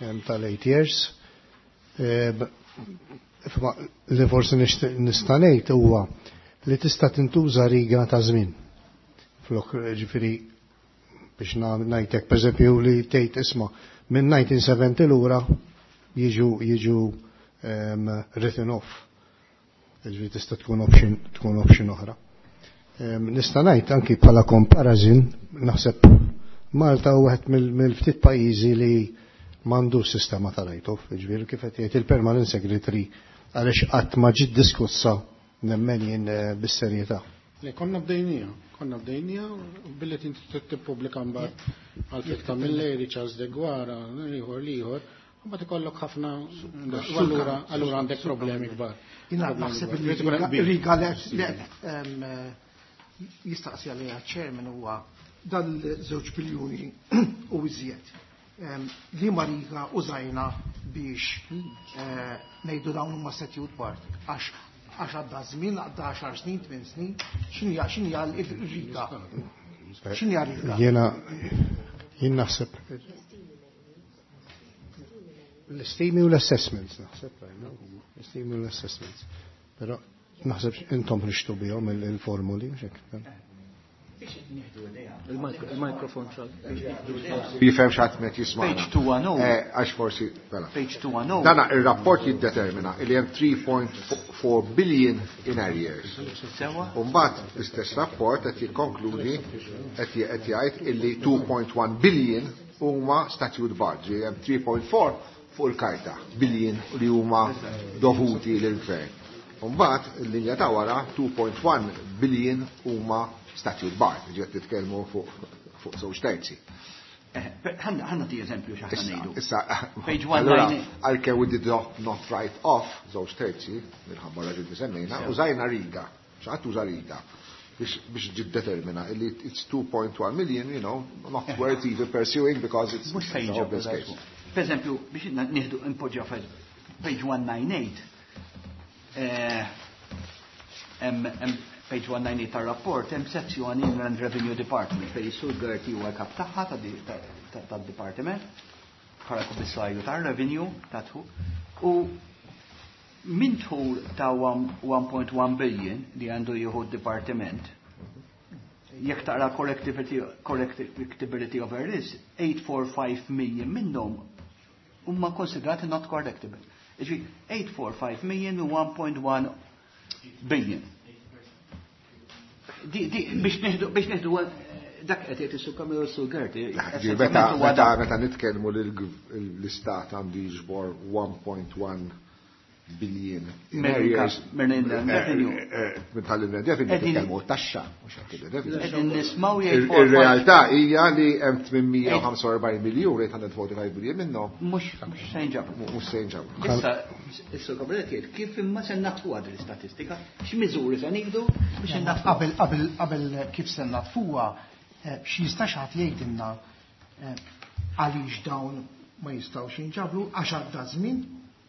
em, tal-eight years. Em, Fma, li forsi nixtieq nista' ngħid huwa li tista' tintuża riga ta' żmien. Flok, ġifieri, biex ngħidlek pereżempju li tgħid isma' minn elf disa' mija u sebgħin lura jiġu jiġu um, written off. Ġifieri tista' tkun option tkun option oħra. Um, nista' ngħid anki bħala comparison, naħseb Malta hu wieħed mill-ftit pajjiżi li m'għandux sistema ta' write-off, ġifieri kif qed jgħid il-Permanent Secretary, għaliex qatt ma ġiet diskussa nemmen jien eh, bis-serjetà. Le, konna bdejnija, konna bdejnija billi tinti tippubblika mbagħad għal Camilleri, Charles Deguara, ieħor l-ieħor, mbagħad ikollok ħafna, u allura allura għandek problemi kbar. Jina Problemi naħseb kbar. li Irid ikun hemm qbil. riga li em, jistaqsi għalija ċermen huwa dal-żewġ biljuni u iżjed. Em, Li ma riga użajna biex eh, ngħidu dawn huma statute barred? Għax għax għadda żmien, għadda għaxar snin, tmien snin, x'inhi x'inhi l-riga? X'inhi riga? Jiena jien naħseb l-istimi u l-assessments, naħseb, l-istimi u l-assessments. Però naħseb intom ħriġtu bihom il-formuli, mhux hekk? Il-mikrofon xal. Jifhem x'ħadd met jisma'. Page two ten. Għax forsi, mela. Page two ten. Dana il-rapport jiddetermina li hemm three point four billion in arrears. Sewa? Umbat l-istess rapport qed jikkonkludi, qed qed jgħid illi two point one billion huma statute barred, ġi hemm three point four fuq il-karta billion li huma dovuti lill-gvern. Umbat il-linja ta' wara two point one billion huma statute barred, ġi qed titkellmu fuq fuq żewġ terzi. Ħanna ti eżempju x'aħna ngħidu. Issa, Page allura, one ninety. għalkemm we did not, not write off żewġ terzi, minħabba raġuni li semmejna, użajna riga, xi ħadd uża riga biex biex ġiddetermina illi it's two point one million, you know, not worth even pursuing because it's, Mhux it's se a jiġu. hopeless case. Per eżempju, biex nieħdu impoġġa page one ninety-eight. eh, Hemm hemm page one ninety-eight tar-rapport, hemm sezzjoni Inland Revenue Department fejn is-Sur Gerti huwa kap tagħha tad-dipartiment bħala kummissarju tar-revenue ta' u minn dħul ta' one point one billion li għandu jieħu d-dipartiment, jekk taqra correctability, correctability of errors, eight hundred forty-five million minnhom huma konsidrati not correctable. Iġi eight hundred forty-five million u one point one billion. Di, di, biex nieħdu biex nieħdu dak qed jgħid is-Sur Camillo, Sur Gerti. Ġi, Meta meta meta nitkellmu li l-istat għandu jiġbor one point one billion in arrears. Minn tal-inland revenue titkellmu taxxa, mhux qed revenue. Ir-realtà hija li hemm tmien mija u ħamsa u erbgħin miljun, eight hundred forty-five billion minnhom. Mhux se jinġabru. Mhux se jinġabru. Issa, is-Sur Gabriel jgħid kif imma se natfuha din l-istatistika, x'miżuri se nieħdu biex innatfu. Qabel qabel qabel kif se natfuha, xi jista' xi ħadd jgħidilna eh, għaliex dawn ma jistgħux jinġabru? Għax għadda żmien?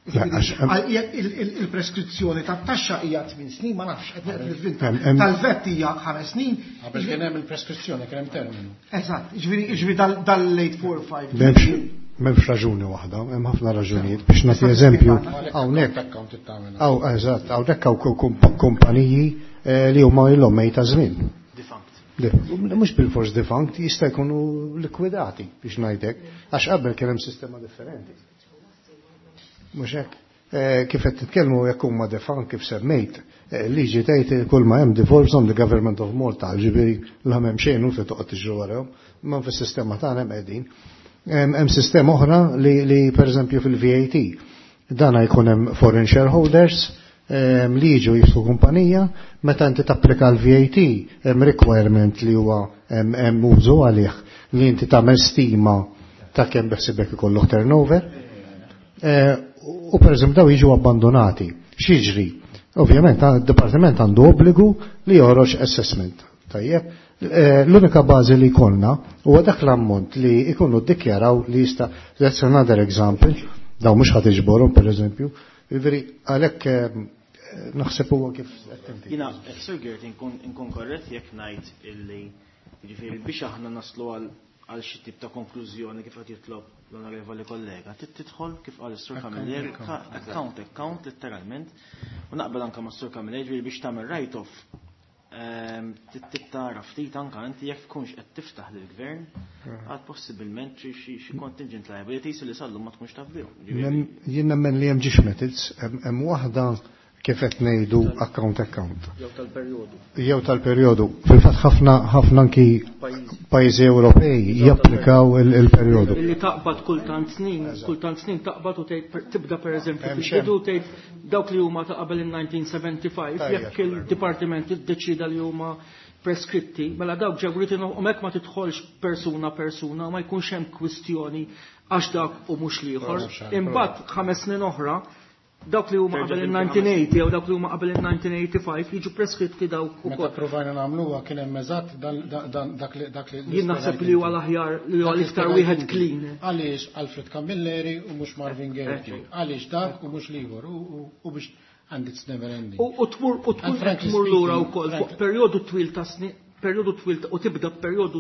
Il-preskrizzjoni tat-taxxa hija tmien snin, ma nafx, qed nivvinta. Tal-VAT hija ħames snin. Qabel kien hemm il-preskrizzjoni, kien hemm terminu. Eżatt, ġifieri ġifieri dal-eight four five. M'hemmx raġuni waħda, hemm ħafna raġunijiet. Biex nagħti eżempju, hawnhekk hawn, eżatt, hawnhekk hawn kumpaniji eh, li huma ilhom mejta żmien. Mhux bil-fors defunct, jista' jkunu likwidati, biex ngħidlek, għax qabel kien hemm sistema differenti. Mhux hekk. Eh, kif qed titkellmu jekk huma defunct kif semmejt, eh, liġi tgħid kull ma hemm devolves on the government of Malta, ġifieri la m'hemm xejn u toqgħod tiġru warahom, imma fis-sistema tagħna hemm qegħdin. Hemm sistema oħra li, li pereżempju fil-V A T. Dana jkun hemm foreign shareholders li jiġu jiftħu kumpanija, meta inti tapplika l-V A T hemm requirement li huwa hemm użu għalih li inti tagħmel stima ta' kemm beħsibek ikollok turnover. Eh, u per eżempju daw jiġu abbandonati. X'jiġri? Ovvjament il-Dipartiment għandu obbligu li joħroġ assessment. Tajjeb, eh, l-unika bażi li jkollna huwa dak l-ammont li jkunu ddikjaraw li jista'. That's another example, daw mhux ħadd iġborhom per eżempju. Jiġifieri għalhekk eh, naħseb huwa kif. Jiena, Sir Gert, inkun korrett jekk ngħid illi jiġifieri biex aħna naslu għal għal xi tip ta' konklużjoni kif qed jitlob l-onorevoli kollega, trid tidħol kif qal is-Sur Camilleri account account letteralment, u naqbel anke mas-Sur Camilleri, ġifieri biex tagħmel write-off ehm, trid tara ftit anke inti jekk tkunx qed tiftaħ lill-gvern għal possibilment xi contingent liabilities li sallum ma tkunx taf bihom. Jien nemmen li hemm żewġ methods, hemm waħda kif qed ngħidu account account. Jew tal-perjodu. Jew tal-perjodu. Fil-fatt ħafna ħafna anki pajjiżi Ewropej japplikaw il-perjodu. Illi taqbad kultant snin, kultant snin taqbad u tgħid tibda pereżempju fil-bidu tgħid dawk li huma ta' qabel il-elf disa' mija u sebgħa u ħamsin, jekk il-dipartiment iddeċida li huma preskritti, mela dawk ġew written u hekk ma tidħolx persuna persuna, ma jkunx hemm kwistjoni għax dak u mhux l-ieħor. Imbagħad ħames snin oħra dawk li huma qabel il-elf disa' mija u tmenin jew dawk li huma qabel il-elf disa' mija u tmienja u ħamsin jiġu preskritti dawk ukoll. Meta provajna nagħmluha kien hemm eżatt dak li dak li Jien naħseb li huwa l-aħjar, li huwa l-iktar wieħed clean. Għaliex Alfred Camilleri u mhux Marvin Gerti? Għaliex dak u mhux l-ieħor? U biex and it's never ending. U tmur u tmur tmur lura wkoll fuq perjodu twil ta' snin, perjodu twil u tibda perjodu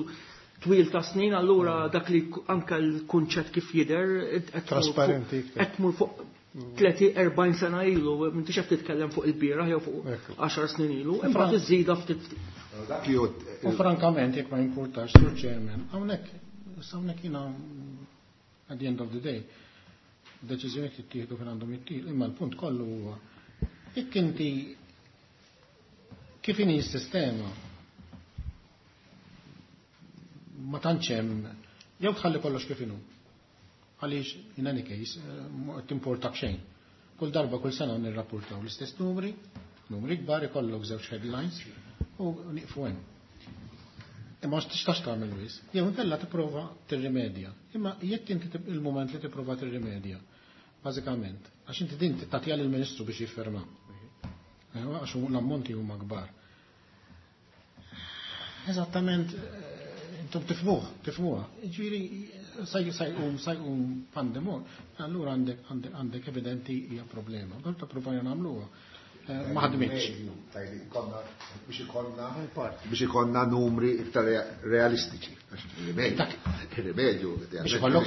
twil ta' snin, allura dak li anka l-kunċett kif jidher trasparenti. Qed tmur fuq tletin, erbgħin sena ilu, m'intix qed titkellem fuq il-bieraħ jew fuq għaxar snin ilu, imbagħad iżżida ftit. U frankament, jekk ma jimpurtax, Sur Chairman, hawnhekk, hawnhekk jiena at the end of the day, deċiżjoni tittieħdu fejn għandhom jittieħdu, imma l-punt kollu huwa jekk inti kif inhi s-sistema ma tantx hemm jew tħalli kollox kif inhu. Għaliex in any case eh, timportak xejn. Kull darba, kull sena nirrapportaw l-istess numri, numri kbar, ikollok żewġ headlines u nieqfu hemm. Imma ma tistax tagħmel wis. Jew inkella tipprova tirrimedja. Imma jekk inti il-mument li tipprova tirrimedja, bażikament, għax inti din tagħtiha lill-Ministru biex jifferma. Eh, għax l-ammonti huma kbar. Eżattament, eh, intom tifhmuh, tifhmuha. Ġifieri sa jqum sa jqum pandemon, allura għandek għandek evidenti hija problema. Darba provajna nagħmluha. Eh, ma ħadmitx. Biex ikollna biex ikollna numri iktar realistiċi. Il-rimedju, biex ikollok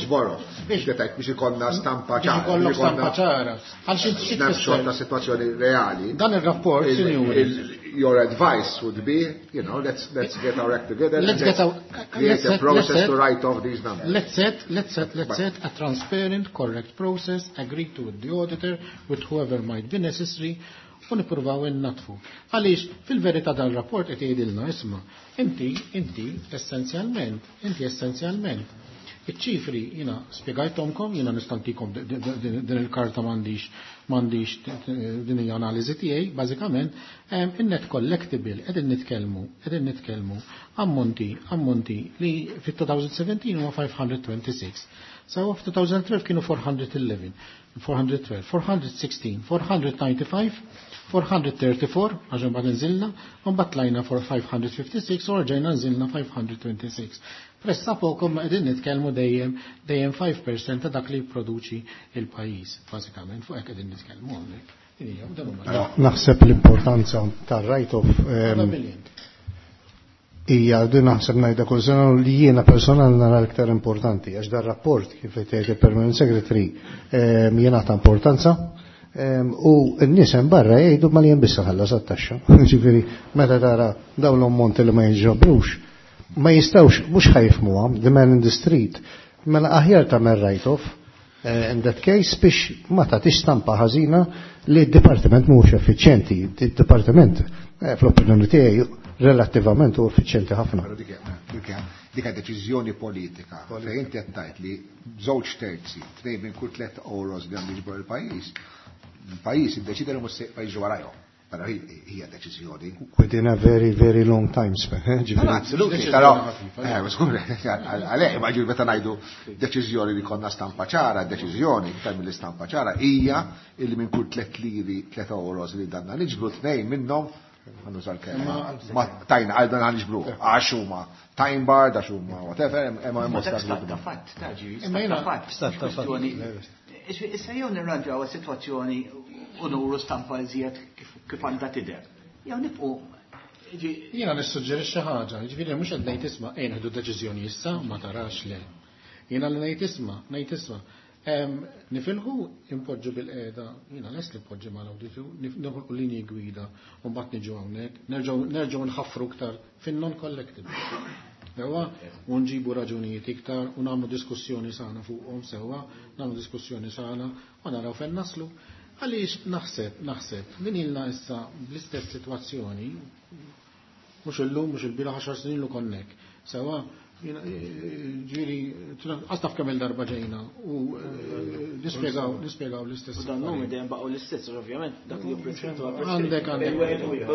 biex ikollna stampa ċara. Biex ikollok stampa ċara. Għal xi snapshot ta' situazzjoni reali. Dan ir-rapport, sinjuri. Your advice would be, you know, let's let's get our act together. Let's get our create a process to write off these numbers. Let's set, let's set, let's set a transparent, correct process, agree to with the auditor, with whoever might be necessary, u nippruvaw innatfu. Għaliex fil-verità dal-rapport qed jgħidilna isma' inti inti essenzjalment, inti essenzjalment Iċ-ċifri jiena spjegajthomkom, jiena nistantikom din il-karta m'għandix m'għandix din hija analiżi tiegħi, bażikament in-net collectible qegħdin nitkellmu, qegħdin nitkellmu ammonti, ammonti li fit-twenty seventeen huwa five hundred twenty-six. So f'twenty twelve kienu four hundred eleven, four hundred twelve, four hundred sixteen, four hundred ninety-five, four hundred thirty-four, għax mbagħad nżilna, u mbagħad tlajna for five hundred fifty-six u rġajna nżilna five hundred twenty-six. Pressappoco ma qegħdin nitkellmu dejjem dejjem five percent ta' dak li jipproduċi il-pajjiż, bażikament fuq hekk qegħdin nitkellmu hawnhekk. Din hija, dan huma Naħseb l-importanza tar-write-off l- billion. Hija din, naħseb ngħidha kull sena, li jiena personal nara l-iktar importanti, għax dar rapport, kif qed jgħid il-Permanent Secretary, ehm, jingħata importanza ehm, u n-nies hemm barra jgħidu ma li hemm biss ħallas għat-taxxa. Ġifieri meta tara dawn l-ammonti li ma jinġabrux, ma jistgħux, mhux ħa jifhmuha, the man in the street, mela aħjar tagħmel write-off eh, in that case biex ma tagħtix stampa ħażina li d-dipartiment mhux effiċjenti. Id-dipartiment eh, fl-opinjoni tiegħi relattivament hu effiċjenti ħafna. Però dik dik dik deċiżjoni politika. Fejn inti qed tgħid li żewġ terzi, tnejn minn kull tliet euros li għandu jiġbor il-pajjiż, il-pajjiż iddeċida li mhux se jiġu warajhom. Però hi- hija deċiżjoni. Within a very, very long time span. Eh, No, ġifieri- no, absolutely, però, eh, skur, għalek, ma ġifieri meta ngħidu deċiżjoni li konna stampa ċara, deċiżjoni, iktar mill-istampa ċara, hija illi minn kull tliet liri, tliet euros li danna niġbru, tnejn minnhom, ħa nuża l-kelma, ma tajna għal dan ħa niġbru, għax huma time barred, għax huma whatever, hemm hemm Ma dak stat ta' fatt, ta' ġiri, Imma stat jiena- ta' fatt. Stat ta' fatt. Kwestjoni- Issa jew nirranġaw is-sitwazzjoni u nuru stampa iżjed kif kif għandha tidher. Jew nibqgħu ġi- Jiena nissuġġerixxi ħaġa, jiġifieri mhux qed ngħid isma' ejn ħdu deċiżjoni issa, ma tarax le. Jiena li ngħid isma', ngħid isma'. Em, Nifilħu impoġġu bil-qeda, jiena lest li poġġi mal-awditu, noħolqu linji gwida u mbagħad niġu hawnhekk, nerġgħu nerġgħu nħaffru iktar fin-non collectible. Sewwa, u nġibu raġunijiet iktar u nagħmlu diskussjoni sana fuqhom sewwa, nagħmlu diskussjoni sana u naraw fejn naslu. Għaliex naħseb, naħseb, din ilna issa bl-istess sitwazzjoni, mhux illum, mhux il-bieraħ, għaxar snin lu konnek. Sewwa, jiena, eh, ġifieri, għastaf kemm il-darba ġejna u eh, nispjegaw, nispjegaw l-istess. U dan numri dejjem baqgħu l-istess, ovvjament, dak li hu preskrittu għal Għandek, għandek.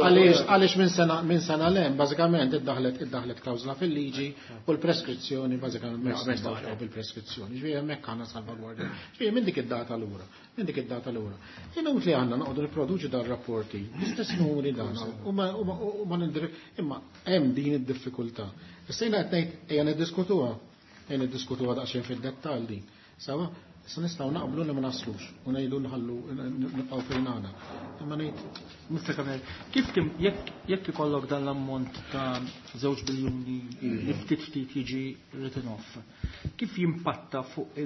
Għaliex, għaliex minn sena, minn sena lem, bażikament iddaħlet iddaħlet klawżla fil-liġi u l-preskrizzjoni, bażikament ma jistgħux bil-preskrizzjoni. Ġifieri hemmhekk għandna salvagwardja. Ġifieri minn dik id-data lura, minn dik id-data lura. Inutli għandna noqogħdu nipproduċi dan rapporti, l-istess numri dan u ma u ma- u ma nindir imma hemm din id-diffikultà. Issa jiena qed ngħid ejja niddiskutuha, ejja niddiskutuha daqsxejn fid-dettall din. Sewwa, issa nistgħu naqblu li ma naslux u ngħidu nħallu nibqgħu fejn għandna. Imma ngħid Mister Camilleri, kif tim jekk jekk ikollok dan l-ammont ta' żewġ biljuni li ftit ftit jiġi written off, kif jimpatta fuq Ma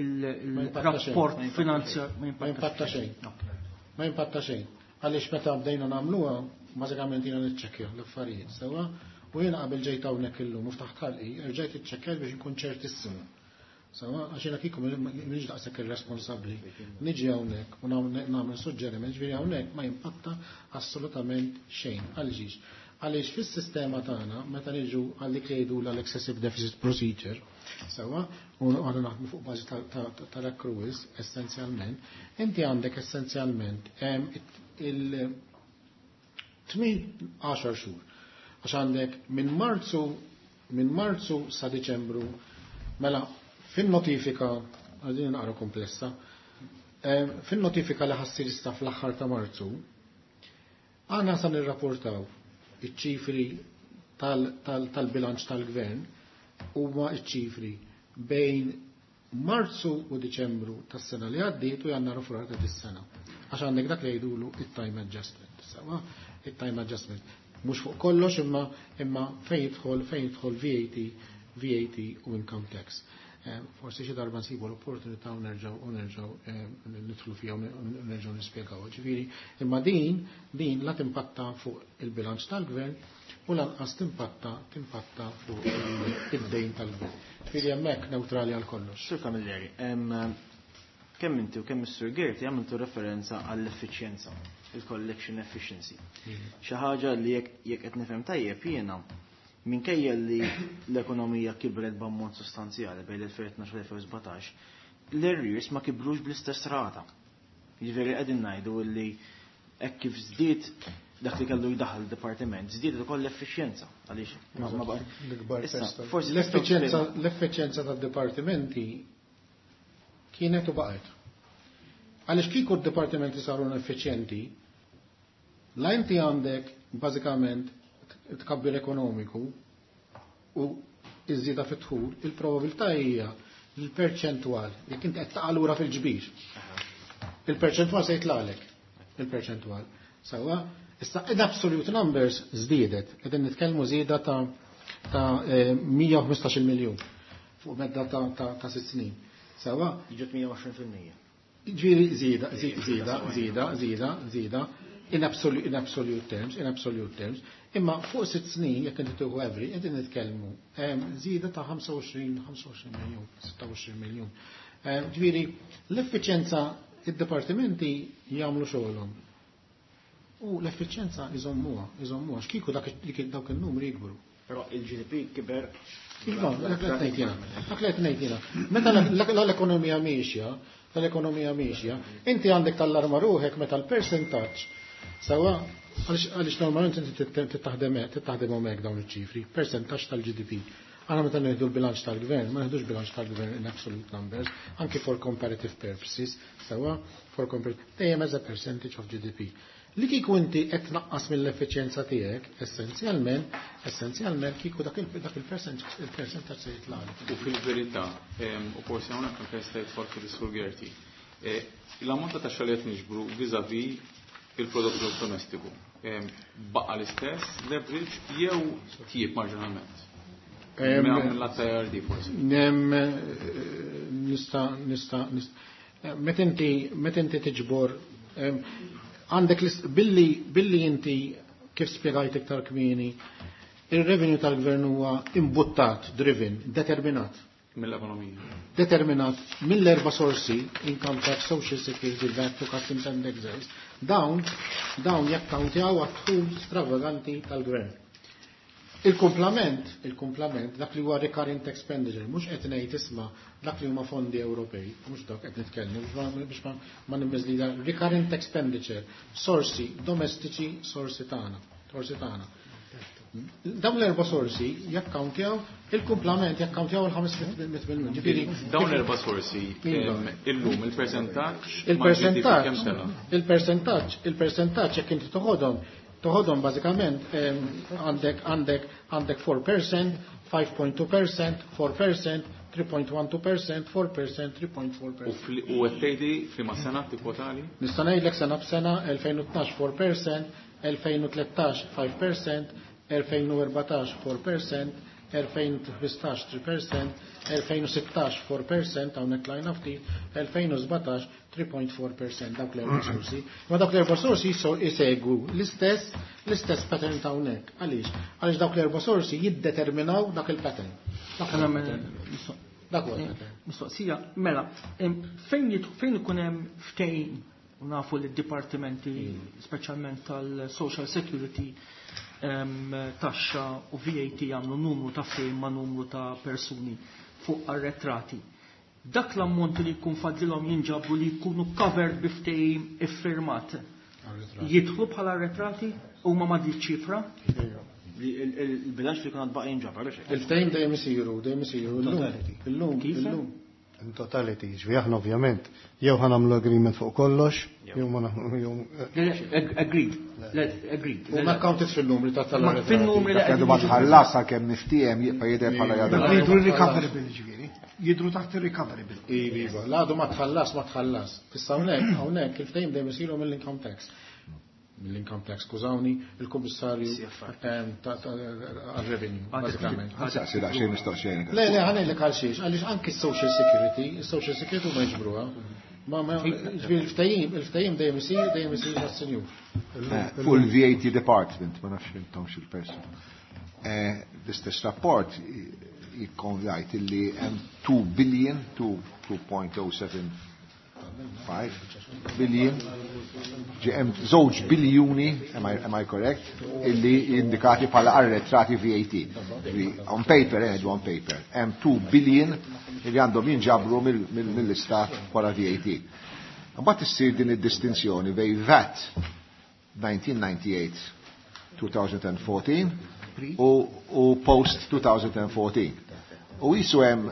jimpatta xejn. il-rapport finanzjar? Ma jimpatta xejn. Ma jimpatta xejn. Għaliex meta bdejna nagħmluha, bażikament jiena niċċekkja l-affarijiet, sewwa, u jiena qabel ġejt hawnhekk illum u ftaħt ħalqi, rġajt iċċekkjat biex inkun ċertissimu. Sewwa, għax jiena kieku m'iniex daqshekk irresponsabbli. Niġi hawnhekk u nagħmel suġġeriment, ġifieri hawnhekk ma jimpatta assolutament xejn. Għaliex? Għaliex fis-sistema tagħna meta niġu għal dik li jgħidu l-excessive deficit procedure, sewwa, u għandna naħdmu fuq bażi tal-accruals essenzjalment, inti għandek essenzjalment il tmien għaxar xhur. Għax għandek minn Marzu minn Marzu sa Diċembru, mela fin-notifika, għadin naqra komplessa, fin-notifika li ħa ssir issa fl-aħħar ta' Marzu, għandna sa nirrapportaw iċ-ċifri tal-bilanċ tal-gvern huma iċ-ċifri bejn Marzu u Diċembru tas-sena li għaddiet u Jannar u Frar ta' dis-sena. Għax għandek dak li jgħidulu it-time adjustment. Sewwa, it-time adjustment. Mhux fuq kollox, imma imma fejn jidħol fejn jidħol V A T, V A T u income tax. Eh, forsi xi darba nsibu l-opportunità u nerġgħu u nerġgħu eh, nidħlu fiha u nerġgħu nispjegaw. Ġifieri, imma din din la timpatta fuq il-bilanċ tal-gvern u lanqas timpatta timpatta fuq id-dejn tal-gvern. Ġifieri hemmhekk neutrali għal kollox. Sur Camilleri, kemm inti u kemm is-Sur Gerti għamiltu referenza għall-effiċjenza, il-collection efficiency. Xi ħaġa li jekk qed nifhem tajjeb jiena minkejja li l-ekonomija kibret b'ammont sostanzjali bejn l-elfejn tnax u l-elfejn sbatax, l-arrears ma kibrux bl-istess rata. Jiġifieri qegħdin ngħidu li hekk kif żdied dak li kellu jdaħħal il-dipartiment, żdied ukoll l-effiċjenza għaliex forsi l-effiċjenza l-effiċjenza tad-dipartimenti kienet u baqgħet. Għaliex kieku d-dipartimenti saru effiċjenti, la inti għandek bażikament tkabbir ekonomiku u iż-żieda fit-dħul, il-probabilità hija l-perċentwal, jekk inti qed taqa' lura fil-ġbir. Il-perċentwal se jitlaqlek. Il-perċentwal. Sewwa, issa in absolute numbers żdiedet, qegħdin nitkellmu żieda ta' ta' mija u ħmistax-il miljun fuq medda ta' ta' ta' sitt snin. Sewwa, Jiġu mija u għoxrin fil-mija. Ġifieri żieda, żieda, żieda, żieda, żieda, in absolute, in absolute terms, in absolute terms, imma fuq sitt snin, jekk inti tieħu every, qegħdin nitkellmu żieda ta' ħamsa u għoxrin, ħamsa u għoxrin miljun, sitta u għoxrin miljun. Ġifieri l-effiċjenza id-dipartimenti jagħmlu xogħolhom. U l-effiċjenza iżommuha, iżommuha, x'kieku dak dawk in-numri jikbru. Però il-G D P kiber. Iva, dak li qed ngħid jiena. Dak li qed ngħid jiena. Meta l-ekonomija miexja, l-ekonomija miexja, inti għandek tal-arma ruħek meta l-percentaġġ sewwa għaliex normalment inti tittaħdem tittaħdemhom hekk dawn iċ-ċifri, percentaġġ tal-G D P. Aħna meta nieħdu l-bilanċ tal-gvern, ma nieħdux bilanċ tal-gvern in absolute numbers, anki for comparative purposes, sewwa for comparative, dejjem as a percentage of G D P. Li kieku inti qed tnaqqas mill-effiċjenza tiegħek, essenzjalment, essenzjalment kieku dak il-, dak il-percent-, il-percentaġġ se jitlaqlek. U fil-verità, ehm, u forsi hawnhekk anke jista' jidħol fil-Sur Gerti, eh, l-ammont ta' taxxa li qed niġbru vis-à-vis il-prodott gross domestiku, ehm, baqa' l-istess leverage jew tjieb marġinalment? Ehm, Minn mill-att ta' I R D forsi. Nem, eh, nista', nista', nista'. Eh, meta inti, meta inti tiġbor, ehm, għandek l-ist-, billi, billi inti kif spjegajt iktar kmieni, il-revenue tal-gvern huwa imbuttat, driven, determinat. Mill-ekonomija. Determinat mill-erba' sorsi, income tax, social security, V A T, customs and excise. Dawn, dawn jakkawntjaw għad-dħul stravaganti tal-gvern. Il-kumplament, il-kumplament, dak li huwa recurrent expenditure, mhux qed ngħid isma' dak li huma fondi Ewropej, mhux dak qed nitkellmu biex ma-, biex ma-, ma nimmiżlida, recurrent expenditure, sorsi domestiċi, sorsi tagħna, sorsi tagħna. Dawn l-erba' sorsi jakkawntjaw il-kumplament, jakkawntjaw il-ħames mitt miljun. Ġifieri, dawn l-erba' sorsi, Iva. ehm, illum il-percentaġġ Il-percentaġġ, ma' G D P kemm sena? il-percentaġġ, il-percentaġġ jekk inti toħodhom, toħodhom bażikament, ehm, għandek, għandek, għandek four percent, five point two percent, four percent, three point one two percent, four percent, three point four percent. U fl-, u qed tgħidi f'liema sena tikkwotali? Nista' ngħidlek sena b'sena, elfejn u tnax four percent, elfejn u tlettax five percent, elfejn u erbatax four percent, elfejn u ħmistax three percent, elfejn u sittax four percent, hawnhekk tlajna ftit, elfejn u sbatax three point four percent, dawk l-erba' sorsi. Ma dawk l-erba' sorsi jiso-, jisegwu l-istess, l-istess pattern ta' hawnhekk. Għaliex? Għaliex dawk l-erba' sorsi jiddeterminaw dak il-pattern. Dak Mela, il-pattern. mela, Dak huwa il-pattern. Mistoqsija, mela, em, fejn jit-, fejn ikun hemm ftehim, u nafu li d-dipartimenti, speċjalment tal-Social Security, em, taxxa u V A T jagħmlu numru ta' ftehim ma' numru ta' persuni fuq arretrati. Dak l-ammont li jkun fadlilhom jinġabru li jkunu covered bi ftehim iffirmat. Arretrati. Jidħlu bħala arretrati u ma ma dik ċifra? Il-bilanċ li kun baqa' jinġabar, biex hekk. Il-ftehim dejjem isiru, dejjem isiru. Illum, Totality. illum, Kif? illum. In totality, ġifieri aħna ovvjament jew ħa nagħmlu agreement fuq kollox, jew ma nagħmlu, jew, Le, le, ag-, agreed. Le, agreed. U ma counted fil-numri ta' tal Ma fil-numri li Dak għadu ma qegħdin tħallas sakemm niftiehem jibqa' jidher bħala jadha. Jidru recoverable ġifieri. Jidru taħt il-recoverable. Iva, iva. L-għadu ma tħallas, ma tħallas. Issa hawnhekk, hawnhekk il-ftehim dejjem isiru mill-income tax. Mill-income tax, skużawni, il-kummissarju, C F R. ehm, ta-, ta-, għal-revenue, Għadek bażikament. ftit. Saqsi daqsxejn mistoqsija. Le, le, ħanejlek għal xiex, għaliex anki s-social security, il-social security ma jiġbruha. Ma, ma, ġifieri il-ftehim, il-ftehim dejjem isir, dejjem isir mas-senjur. Eh, fuq il-V A T department, ma nafx intom xil-person. Eh, l-istess rapport jikkon jgħid illi hemm two billion, two, two point oh seven five billion Ġi hemm żewġ biljuni, am I, am I correct, illi indikati bħala arretrati V A T. Ġi, on paper, eh, on paper, hemm two billion illi għandhom jinġabru mill-istat bħala V A T. Mbagħad issir din id-distinzjoni bejn V A T nineteen ninety-eight twenty fourteen u, u post twenty fourteen. U jisu hemm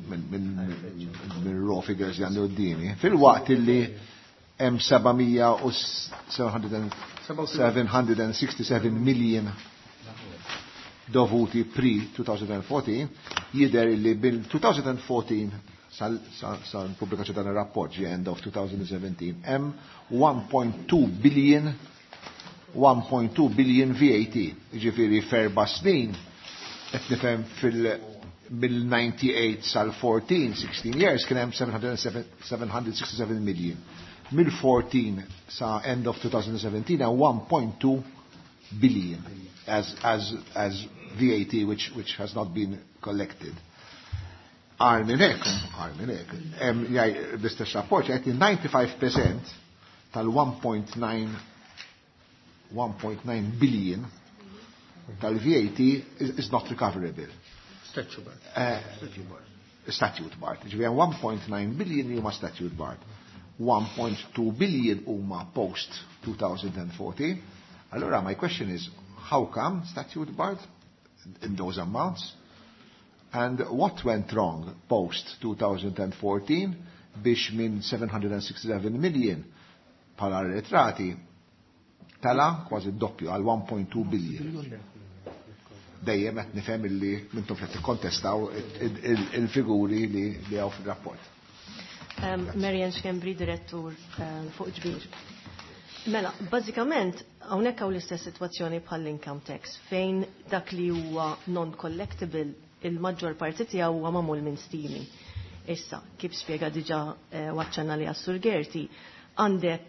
minn raw figures li għandu quddiemi, fil-waqt illi hemm seven hundred sixty-seven million dovuti pre-twenty fourteen, jidher illi bil-twenty fourteen sal-pubblikazzjoni dan ir-rapport ġi end of twenty seventeen hemm one point two billion, one point two billion V A T. Ġifieri f'erba' snin qed nifhem fil mill-ninety-eight sal-fourteen, sixteen years, kien hemm seven hundred sixty-seven million. Mill-fourteen sa end of twenty seventeen hemm one point two billion as, as, as V A T which, which has not been collected. Agħar minn hekk, agħar minn hekk, l-istess rapport jgħid ninety-five percent tal-one point nine one point nine billion tal-V A T is, is not recoverable. Statute bar. Uh, statute bar. Ġifieri one point nine billion huma statute bar. one point two billion huma post twenty fourteen. Allora my question is, how come statute barred in those amounts? And what went wrong post twenty fourteen biex minn seven hundred sixty-seven million bħala arretrati tala kważi doppju għal one point two billion? Dejjem qed nifhem illi m'intom qed tikkontestaw il-figuri li li hawn fir-rapport. Um, Marian Schembri, direttur um, fuq ġbir. Mela, bażikament hawnhekk hawn l-istess sitwazzjoni bħall-income tax, fejn dak li huwa non-collectible, il-maġġor parti tiegħu huwa magħmul minn stimi. Issa, kif spjega diġà eh, waċċana li għas-Sur Gerti, għandek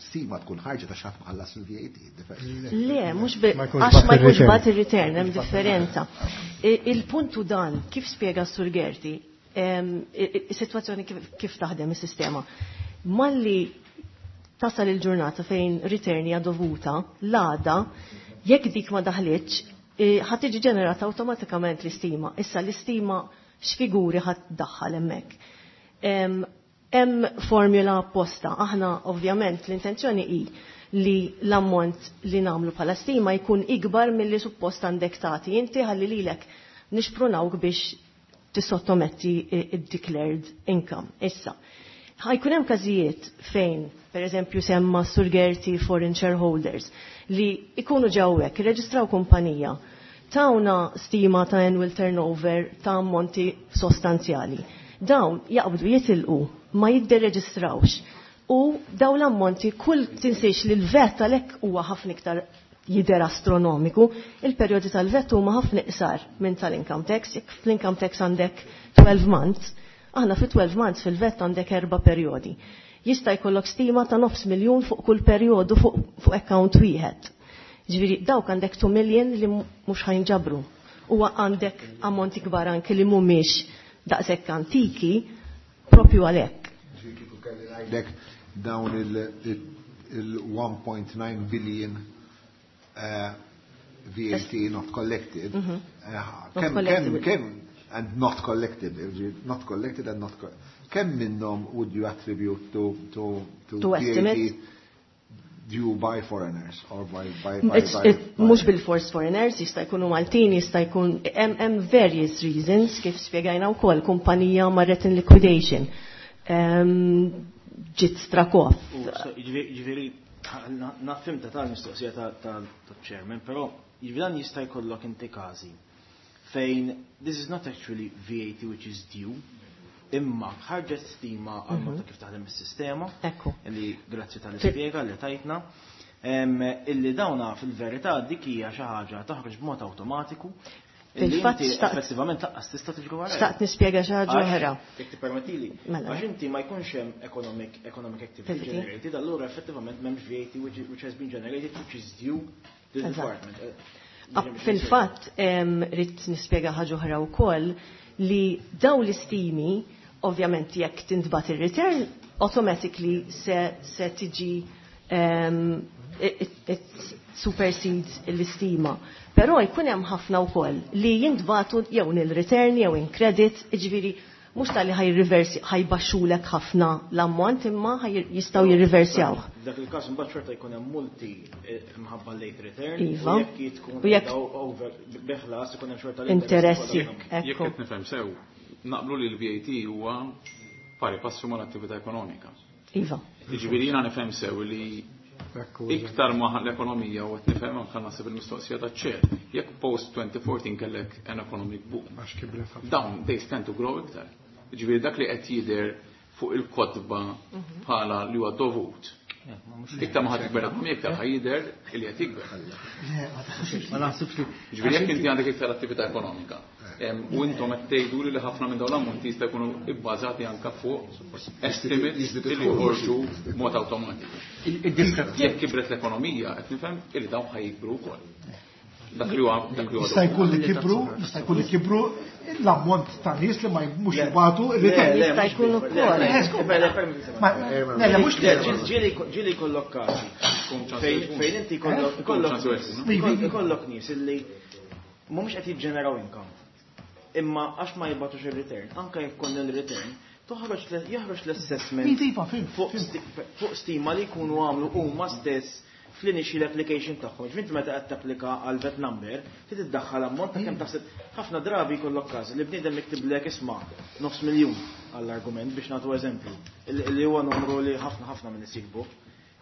Stima tkun ħarġa ta' xi ħadd mħallas il-V A T. Le, mhux għax ma jkunx bagħat ir-return, hemm differenza. Il-puntu dan, kif spjega Sur Gerti, is-sitwazzjoni kif taħdem is-sistema. Malli tasal il-ġurnata fejn return hija dovuta, l-għada, jekk dik ma daħlitx, ħa tiġi ġenerata awtomatikament l-istima. Issa l-istima x'figuri ħa ddaħħal hemmhekk? Hemm formula apposta. Aħna ovvjament l-intenzjoni hi li l-ammont li nagħmlu bħala stima jkun ikbar milli suppost għandek tagħti. Inti ħalli lilek nixprunawk biex tissottometti id-declared income. Issa, ħa jkun hemm każijiet fejn, per eżempju, semma Sur Gerti foreign shareholders li ikunu ġewwek, irreġistraw kumpanija, tawna stima ta' annual turnover ta' ammonti sostanzjali. Dawn jaqbdu jitilqu, ma jiddereġistrawx. U daw l-ammonti kull tinsiex li l-V A T għalhekk huwa ħafna iktar jidher astronomiku, il-perjodi tal-V A T huma ħafna iqsar minn tal-income tax. Jekk fl-income tax għandek twelve months, aħna fi twelve months fil-V A T għandek erba' perjodi. Jista' jkollok stima ta' nofs miljun fuq kull perjodu fuq, fuq account wieħed. Ġifieri dawk għandek two million li mhux ħa jinġabru. U għandek ammonti kbar anke li mhumiex daqshekk antiki propju għalhekk. Ngħidlek dawn il-one point nine billion uh, V A T not collected. Mm -hmm. uh, kemm, kemm, kemm, and not collected, not collected and not kemm minnhom would you attribute to to to, to V A T estimate due by foreigners or by by by, It's, by, it, mhux bil-fors foreigners, jista' jkunu Maltin, jista' jkun hemm various reasons, kif spjegajna wkoll, kumpanija marret in liquidation. Um, ġiet struck off. Ġifieri, nafhimha tal-mistoqsija tal-chairman, però ġifieri dan jista' jkollok inti każi fejn this is not actually V A T which is due, imma ħarġet stima għal mod ta' kif taħdem is-sistema. Ekku. Illi grazzi tal-ispjega li tajtna. Illi dawna fil-verità dik hija xi ħaġa taħroġ b'mod awtomatiku. Fil-fatt effettivament lanqas tista' tiġri wara. Xtaqt nispjega xi ħaġa oħra. Jekk tippermettili. Mela. Għax inti ma jkunx hemm economic economic activity generated, allura effettivament m'hemmx V A T which, which has been generated, which is due to the department. Fil-fatt ridt nispjega ħaġa oħra wkoll li daw l-istimi, ovvjament jekk tintbagħat ir-return automatically se, se tiġi um, it, it supersedes l-istima. Però jkun hemm ħafna wkoll li jintbagħtu jew nil return jew in credit, jiġifieri mhux tal-li ħaj reversi ħajbaxxulek ħafna l-ammont imma jistgħu jirriversjaw. Dak il-każ imbagħad xorta jkun hemm multi mħabba late return. Iva. U jekk tkun over beħlas ikun hemm xorta interessi. Jekk qed nifhem sew, naqblu li l-V A T huwa pari passu mal-attività ekonomika. Iva. Jiġifieri jiena nifhem sew li iktar ma l-ekonomija u qed nifhem anke naħseb il-mistoqsija taċ-chair. Jekk post twenty fourteen kellek an economic boom, dawn they stand to grow iktar. Ġifieri dak li qed jidher fuq il-kotba bħala li huwa dovut. Iktar ma ħadd ikber ekonomija, iktar ħa jidher li qed jikber. Ma naħsibx li. Ġifieri jekk inti għandek iktar attività ekonomika u intom qed tgħidu li ħafna minn dawn l-ammonti jista' jkunu ibbażati anke fuq estimates li joħorġu b'mod awtomatiku. Jekk kibret l-ekonomija, qed nifhem illi dawn ħa jikbru wkoll. Dak li huwa dak li huwa. Jista' jkun li kibru, jista' jkun li kibru l-ammont ta' nies li ma mhux jibagħtu. Jista' jkun ukoll. Le, mhux. Ġieli jkollok każi fejn inti jkollok nies illi mhumiex qed jiġġeneraw income. Imma għax ma jibagħtux ir-return, anke jekk konna l-return, toħroġ jaħroġ l-assessment fuq stima li jkunu għamlu huma stess fl-initial application tagħhom. Ġvinti meta qed tapplika għal VAT number, trid iddaħħal ammont ta' kemm taħseb. Ħafna drabi jkollok każi li bniedem miktiblek, isma', nofs miljun għall-argument biex nagħtu eżempju, li huwa numru li ħafna ħafna minn isibbu.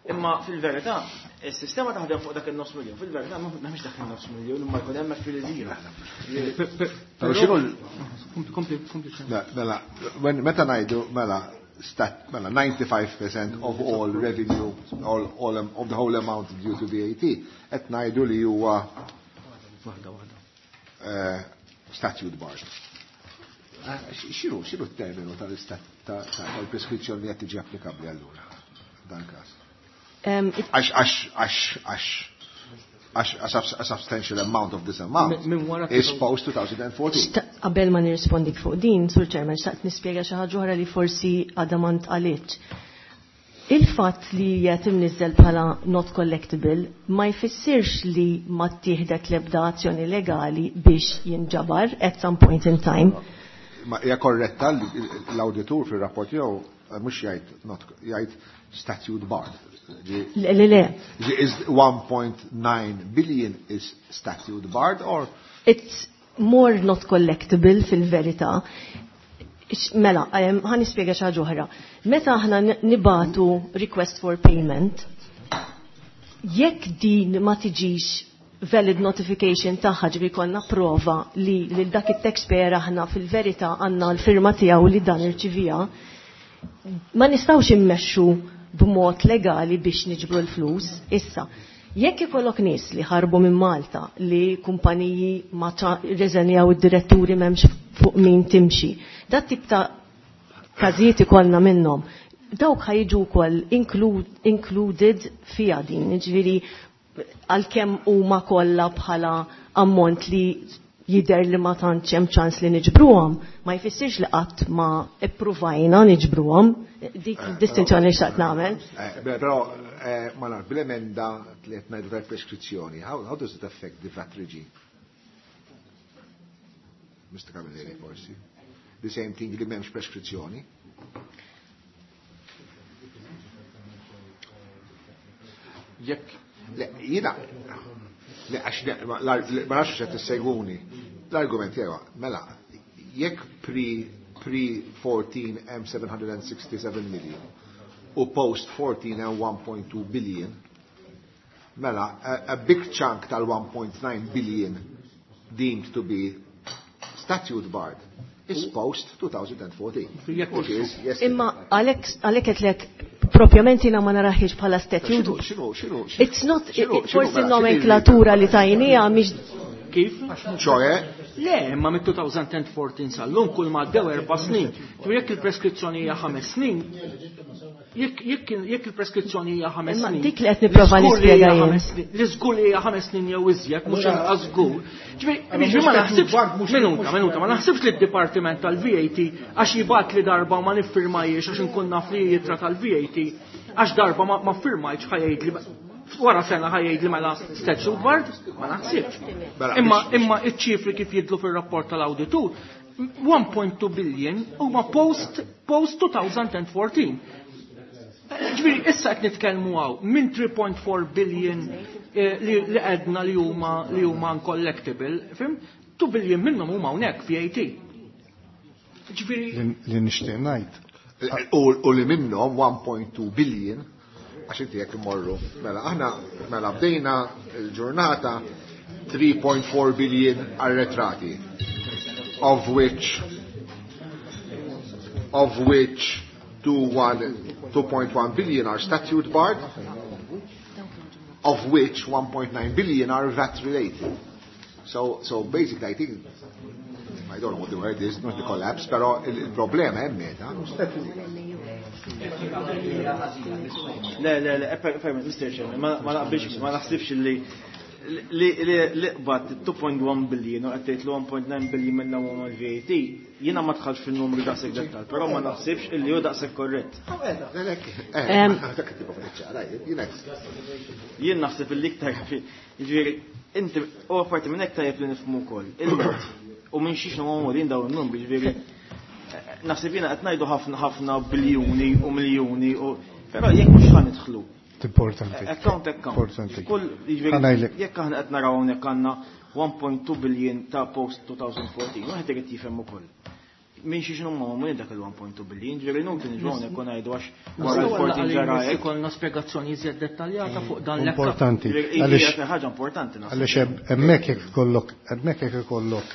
Imma fil-verità, is-sistema taħdem fuq dak il-nofs miljun. Fil-verità m'hemmx dak il-nofs miljun, imma jkun hemm fil-żira. Però mela, meta ngħidu mela stat, mela ninety-five percent of all revenue, all, all, of the whole amount due to V A T, qed ngħidu li huwa Waħda waħda. Uh, statute barred. X'inhu x'inhu t-terminu tal-preskrizzjoni li qed tiġi applikabbli allura dan każ? Għax għax għax għax għax a substantial amount of this amount is post twenty fourteen. Qabel ma nirrispondik fuq din, Sur Chairman, xtaqt nispjega xi ħaġa oħra li forsi għadha ma ntqalitx. Il-fatt li qed imniżżel bħala not collectible ma jfissirx li ma ttieħdet l-ebda azzjoni legali biex jinġabar at some point in time. Ma hija korretta l-awditur fir-rapport tiegħu mhux jgħid not, jgħid statute barred. Le, le, le. Is one point nine billion is statute barred or? It's more not collectible fil-verità. Mela, ħa nispjega xi ħaġa oħra. Meta aħna nibagħtu request for payment, jekk din ma tiġix valid notification tagħha, ġifieri konna prova li lil dak it-taxpayer aħna fil-verità għandna l-firma tiegħu li dan irċivija, ma nistgħux immexxu b'mod legali biex niġbru l-flus. Issa, jekk ikollok nies li ħarbu minn Malta, li kumpaniji ma reżenjaw id-diretturi, m'hemmx fuq min timxi, dat tip ta' każijiet ikollna minnhom. Dawk ħa jiġu wkoll included fija din, ġifieri għalkemm huma kollha bħala ammont li jider li ma tantx hemm ċans li niġbruhom, ma jfissirx li qatt ma ippruvajna niġbruhom. Dik distinzjoni li xtaqt nagħmel. Però ma naf bil-emenda li qed ngħidu tal-preskrizzjoni, how, how does it affect the V A T regime? Mister Camilleri, forsi. The same thing li m'hemmx preskrizzjoni. Jekk Le, jiena, le, għax ma nafx qed tissegwuni. L-argument tiegħu, mela, jekk pre pre fourteen hemm seven hundred sixty-seven million u post fourteen hemm one point two billion, mela, a, a big chunk tal one point nine billion deemed to be statute barred is post twenty fourteen. Which is yesterday. Imma għalhekk għalhekk qedlek propjament jiena ma naraħiex bħala statute. X'inhu, x'inhu, It's not, forsi n-nomenklatura li tajnija mhix Kif? ċoe? Le, imma mit-twenty fourteen sal-lum kull ma għaddew erba' snin. Tu jekk il-preskrizzjoni hija ħames snin, Jekk il-preskrizzjoni hija ħames snin. Dik li qed nipprova nispjega jien. Li żgur li hija ħames snin jew iżjed, mhux inqas żgur. Ġifieri ma naħsibx minuta, minuta, ma naħsibx li d-Dipartiment tal-V A T għax jibgħat li darba ma niffirmajiex għax inkun naf li jitra tal-V A T għax darba ma ffirmajtx ħa jgħid li wara sena ħa jgħid li mela statute barred, ma naħsibx. Mela, Imma imma iċ-ċifri kif jidhru fir-rapport tal-awditur, one point two billion huma post post twenty fourteen. Ġifieri, issa qed nitkellmu hawn minn three point four billion eh, li li għedna li huma li huma uncollectible, fhimt? two billion minnhom huma hawnhekk V A T. Ġifieri Li li nixtieq ngħid. U u li minnhom one point two billion, għax inti jekk imorru. Mela aħna mela bdejna il-ġurnata three point four billion arretrati, of which of which two point one billion are statute barred, of which one point nine billion are V A T related. So, so basically, I think, I don't know what the word is, not the collapse, però il-problema hemm meta. Le, le, le, per, per, Mister Chairman, ma ma naqbilx, ma naħsibx li li li li qbad two point one billion u qed tgħid li one point nine billion minnha huma l-V A T, jiena ma dħalx fin-numru daqshekk dettal, però ma naħsibx illi hu daqshekk korrett. Em, Jien naħseb illi iktar, jiġifieri inti u apparti minn hekk tajjeb li nifhmu wkoll il-mod u minn xiex huma dawn in-numri, jiġifieri naħseb jiena qed ngħidu ħafna ħafna biljuni u miljuni u però jekk mhux ħa nidħlu Importanti. Account account. Importanti. Kull jiġifieri Ħa ngħidlek. Jekk aħna qed naraw hawnhekk għandna one point two billion ta' post twenty fourteen, wieħed irid jifhem ukoll. Min xi x'inhu ma dak il-one point two billion, ġifieri inutli niġu hawnhekk u ngħidu għax wara l-fourteen ġara hekk. Ikollna spjegazzjoni iżjed dettaljata fuq dan l Importanti. Ġifieri Għaliex hija ħaġa importanti naħseb. Għaliex hemmhekk jekk ikollok hemmhekk jekk ikollok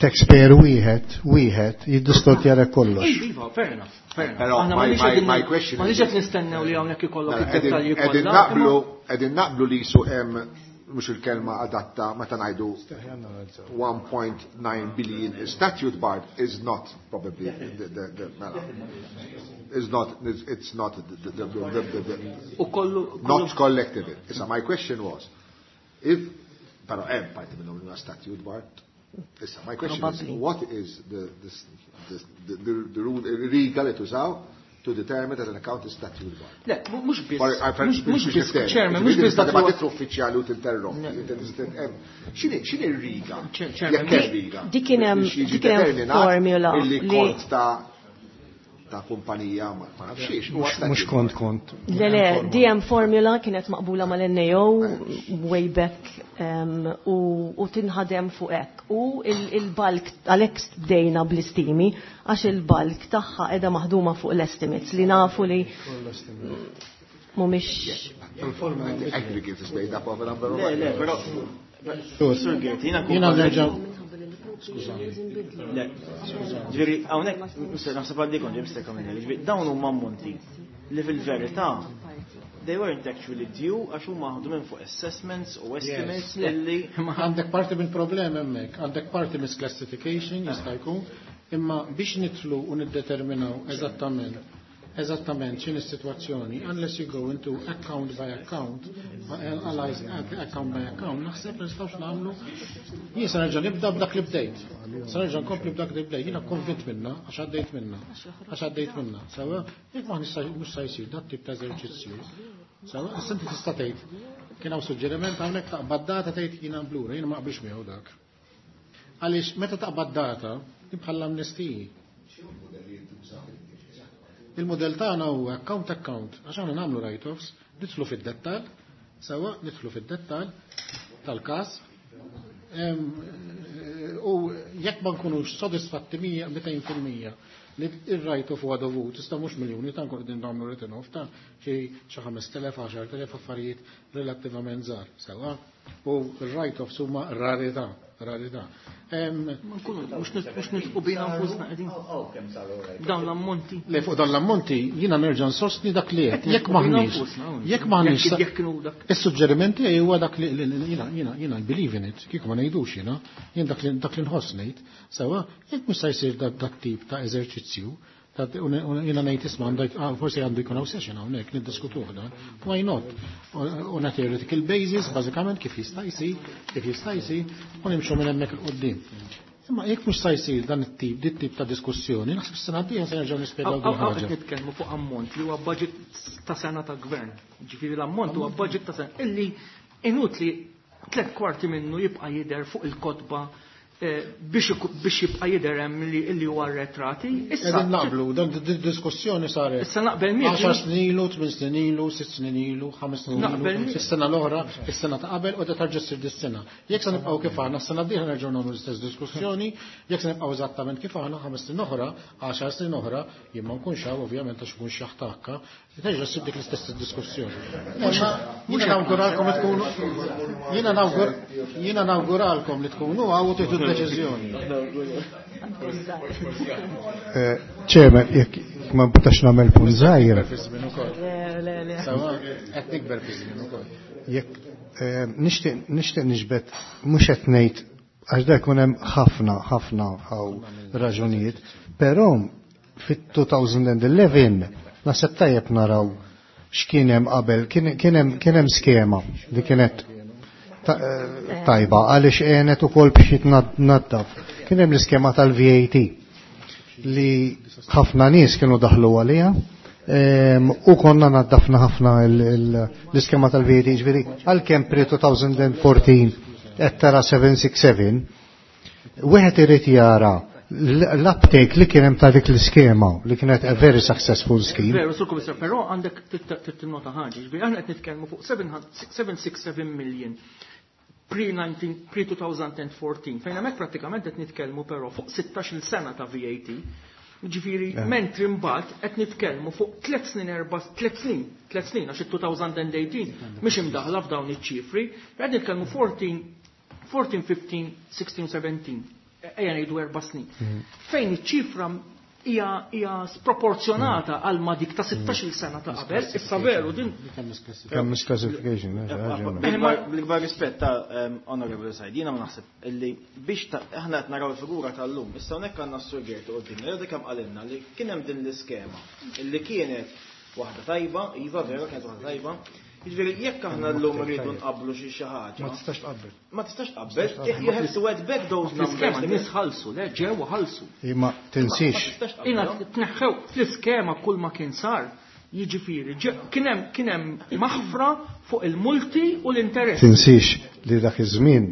taxpayer wieħed wieħed jiddistortjalek kollox. Iva, fair enough, fair enough. Però Aħna my- m'għandniex my- qegħdin- my question m'għandniex is- qed nistennew li hawnhekk ikollok Mela, id-dettalji Qegħdin kollha. naqblu, qegħdin naqblu li jisu hemm mhux il-kelma adatta meta ngħidu one point nine billion is statute barred is not probably the, the, the, mela, is not it's not the, the, the, the, the, the, U kollu not collective. Issa my question was if però hemm parti minnhom li huma statute barred. Issa my question is Probably. What is the the the, the, the, the rule riga li tużaw to determine that an account is statute barred? Le, mhux biss. Mhux Mhux biss, Chairman, mhux biss dak ma li huwa- titlu uffiċjali u tinterrompi. X'inhi x'inhi r-riga? Chairman, Jekk hemm riga. Dik kien hemm- Biex jiġi dik kien hemm determinat formula illi li- kont ta' ta' kumpanija ma ma nafx xiex. Huwa Mhux statute kont kont. Le, le, D M formula kienet maqbula mal-N A O way back um, u, u tinħadem fuq hekk. U il-bulk, għalhekk bdejna bl-istimi, għax il-bulk tagħha qiegħda maħduma fuq l-estimates li nafu li mhumiex Aggregate is made up of a number of Le, le, però Sur Gert, jiena Jiena nerġa' Le, ġifieri, hawnhekk, Mister naħseb għaddi Mister Camilleri, ġifieri, dawn huma ammonti li fil-verità they weren't actually due għax huma ħadu minn fuq assessments u estimates illi Għandek parti mill problem hemmhekk, għandek parti misclassification jista' jkun, imma biex nidħlu u niddeterminaw eżattament eżattament x'in is-sitwazzjoni, unless you go into account by account, analyze account by account, naħseb li nistgħux nagħmlu. Jien se nerġa' nibda b'dak li bdejt. Se nerġa' nkompli b'dak li bdejt. Jiena konvint minna għax għaddejt minna. Għax għaddejt minna. Sewwa, jekk ma nista' mhux se jsir dat tip ta' eżerċizzju. Sewwa, issa inti tista' tgħid kien hawn suġġeriment hawnhekk taqbad data tgħid jiena blura, jiena ma qbilx miegħu dak. Għaliex meta taqbad data, bħal amnestiji. Il-modell tagħna huwa account account, għax aħna nagħmlu write-offs, nidħlu fid-dettall, sewwa nidħlu fid-dettall tal-każ. Em, U jekk ma nkunux sodisfatti mija mitejn fil-mija li il-write-off huwa dovut, tista' mhux miljuni ta' nkun qegħdin nagħmlu written off ta' xi xi ħamest elef, għaxart elef, affarijiet relattivament żgħar, sewwa. U il-write-offs huma rarità, rarità. Em, Ma nkunu mhux mhux nilqu bina nfusna qegħdin. Dawn l-ammonti. Le, fuq dan l-ammonti jiena nerġa' nsostni dak li qed. Jekk maħniex, jekk maħniex Jekk kienu dak. Is-suġġerimenti huwa dak li li- li- jiena jiena jiena I believe in it, kieku ma ngħidux jiena, jien dak li dak li nħoss ngħid, sewwa, jekk mhux se jsir dak dak tip ta' eżerċizzju, Jiena ngħid isma' forsi għandu jkun hawn session hawnhekk niddiskutuh dan. Why not? On a theoretical basis, bażikament kif jista' jsir, kif jista' jsir, u nimxu minn hemmhekk 'il quddiem. Imma jekk mhux sa jsir dan it-tip, dit tip ta' diskussjoni, naħseb is-sena d-dieħla se nerġgħu nispjegaw din ħaġa. Qed nitkellmu fuq ammont li huwa budget ta' sena ta' gvern. Ġifieri l-ammont huwa budget ta' sena illi inutli tliet kwarti minnu jibqa' jidher fuq il-kotba biex jibqa' jidher hemm li huwa arretrati. Issa qegħdin naqblu, dan diskussjoni saret. Issa naqbel miegħek. Għaxar snin ilu, tmien snin ilu, sitt snin ilu, ħames snin ilu, is-sena l-oħra, is-sena ta' qabel u tarġa' ssir dis-sena. Jekk se nibqgħu kif aħna, s-sena d-dieħla nerġgħu nagħmlu l-istess diskussjoni, jekk se nibqgħu eżattament kif aħna ħames snin oħra, għaxar snin oħra, jien ma nkunx hawn ovvjament għax ikun xi ħtakka, terġa' ssir dik l-istess diskussjoni. Jiena nawguralkom li tkunu jiena nawgur jiena nawguralkom li tkunu hawn u tieħdu deċiżjoni. Chairman, jekk ma butax nagħmel punt żgħir. Qed nikber fi żmien ukoll. Jekk nixtieq nixtieq niġbed mhux qed ngħid għax da jkun hemm ħafna ħafna hawn raġunijiet, però fit-two thousand eleven naħseb tajjeb naraw x'kien hemm qabel, kien hemm skema li kienet tajba għaliex għenet ukoll biex jitnaddaf. Kien hemm l-iskema tal-V A T li ħafna nies kienu daħlu għaliha u konna naddafna ħafna l-iskema tal-V A T, ġifieri għalkemm pre-twenty fourteen qed tara seven six seven, wieħed irid jara l-uptake li kien hemm ta' dik l-iskema li kienet a very successful scheme. Veru, Sur Commissioner, però għandek tinnota ħaġa, ġifieri aħna qed nitkellmu fuq seven six seven million pre-twenty fourteen, fejn hemmhekk prattikament qed nitkellmu però fuq sittax-il sena ta' V A T. Ġifieri, mentri mbagħad qed nitkellmu fuq tliet snin, erba', tliet snin, tliet snin, għax it-twenty eighteen mhix imdaħla f'dawn iċ-ċifri, qed nitkellmu fourteen, fourteen, fifteen, sixteen, seventeen. Ejja ngħidu erba' snin. Fejn iċ-ċifra hija hija sproporzjonata għal ma dik ta' sittax-il sena ta' qabel, issa veru din Kemm misclassification. Bil-kbar rispett ta' Honorable Said, jiena ma naħseb illi biex aħna qed naraw il-figura tal-lum, issa hawnhekk għandna s-Sur Gerti qudiemna, li kemm qalilna li kien hemm din l-iskema illi kienet waħda tajba, iva vera kienet waħda tajba. Jiġifieri jekk aħna llum rridu nqabblu xi xi ħaġa. Ma tistax tqabbel. Ma tistax tqabbel, you have to add back those numbers. L-iskema nies ħallsu, le ġew ħallsu. Imma tinsix. Ina tneħħew fl-iskema kull ma kien sar, jiġifieri kien hemm kien hemm maħfra fuq il-multi u l-interess. Tinsix li dak iż-żmien,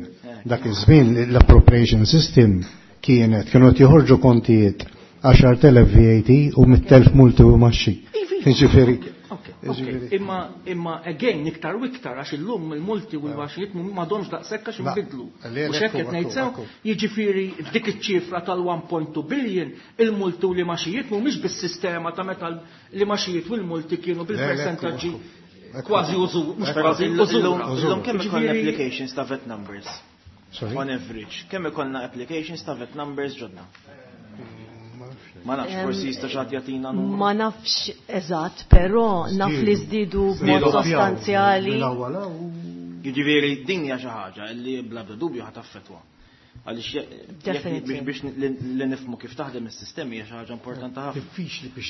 dak iż-żmien l-appropriation system kienet kienu qed joħorġu kontijiet għaxart elef V A T u mitt elf multi u imgħaxi. Jiġifieri Imma imma again iktar u iktar għax illum il-multi u l-imgħaxijiet m'għadhomx daqshekk għax inbidlu. U x'hekk qed ngħid sew, jiġifieri dik iċ-ċifra tal-one point two billion, il-multi u l-imgħaxijiet mhumiex bis-sistema ta' meta l-imgħaxijiet u l-multi kienu bil-persentaġġi kważi użu, mhux kważi użu. Illum kemm ikollna applications ta' V A T numbers? On average, kemm ikollna applications ta' V A T numbers ġodda? Ma nafx, forsi jista' xi ħadd jagħtina numru. Ma nafx eżatt, però naf li żdiedu b'mod sostanzjali. Jiġifieri din hija xi ħaġa li bla dubju ħa taffettwa. Għaliex Definitely. biex li nifhmu kif taħdem is-sistemi hija xi ħaġa importanti ħafna. Diffiċli biex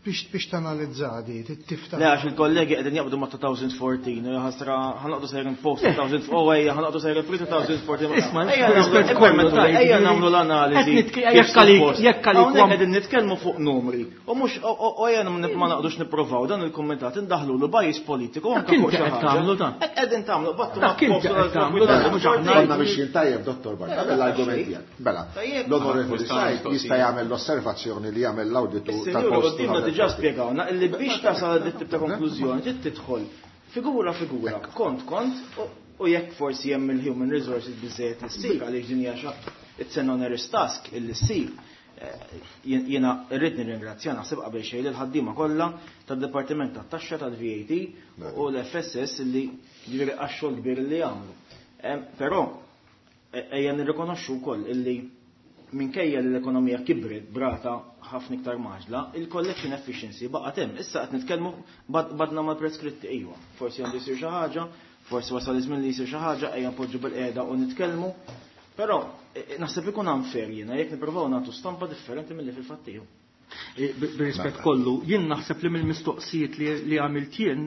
biex biex tanalizza di, tiftaħ. Le, għax il-kollegi qegħdin jaqbdu ma' twenty fourteen u ħasra ħa noqogħdu sejrin post two thousand, oh ejja, ħa noqogħdu sejrin pre twenty fourteen. Isma' Ejja nagħmlu ejja nagħmlu l-analiżi. Qed nitke- jekk għalik- jekk għalik Hawnhekk qegħdin nitkellmu fuq numri. U mhux u ejja ma naqdux nipprovaw dan il-kumitat indaħlu l bias politiku anke Dak fuq inti xi qed ħaġa. tagħmlu dan. Hekk qegħdin tagħmlu battu Dak inti qed tagħmlu dan, mhux aħna. Konna mixjin tajjeb, Dottor Bartolo, l-argument tiegħek. Mela, l-Onorevoli Said jista' jagħmel l-osservazzjoni li jagħmel l-awditu Is-senjura tal-post. quddiemna diġà spjegawna illi biex tasal dit tip ta' konklużjoni trid tidħol figura figura, kont kont, u- u jekk forsi hemm il-human resources biżejjed li ssir għaliex din hija xa it's an onerous task illi ssir. Eh, jien- Jiena rrid nirringrazzja naħseb qabel xejn lil ħaddiema kollha tad-Dipartiment tat-Taxxa tal-V A T u l-F S S illi ġifieri għax-xogħol kbir li jagħmlu. Em, Però e- ejja nirrikonoxxu wkoll illi minkejja li l-ekonomija kibret brata ħafna iktar maġla, il-collection efficiency baqgħet hemm. Issa qed nitkellmu bad- badna mal-preskritti iva. Forsi għandu jsir xi ħaġa, forsi wasal iż-żmien li jsir xi ħaġa, ejja npoġġu bil-qiegħda u nitkellmu. Però e- e, naħseb ikun unfair jiena jekk nippruvaw nagħtu stampa differenti milli fil-fatt hu. Bir-rispett kollu, jien naħseb li mill-mistoqsijiet li għamilt jien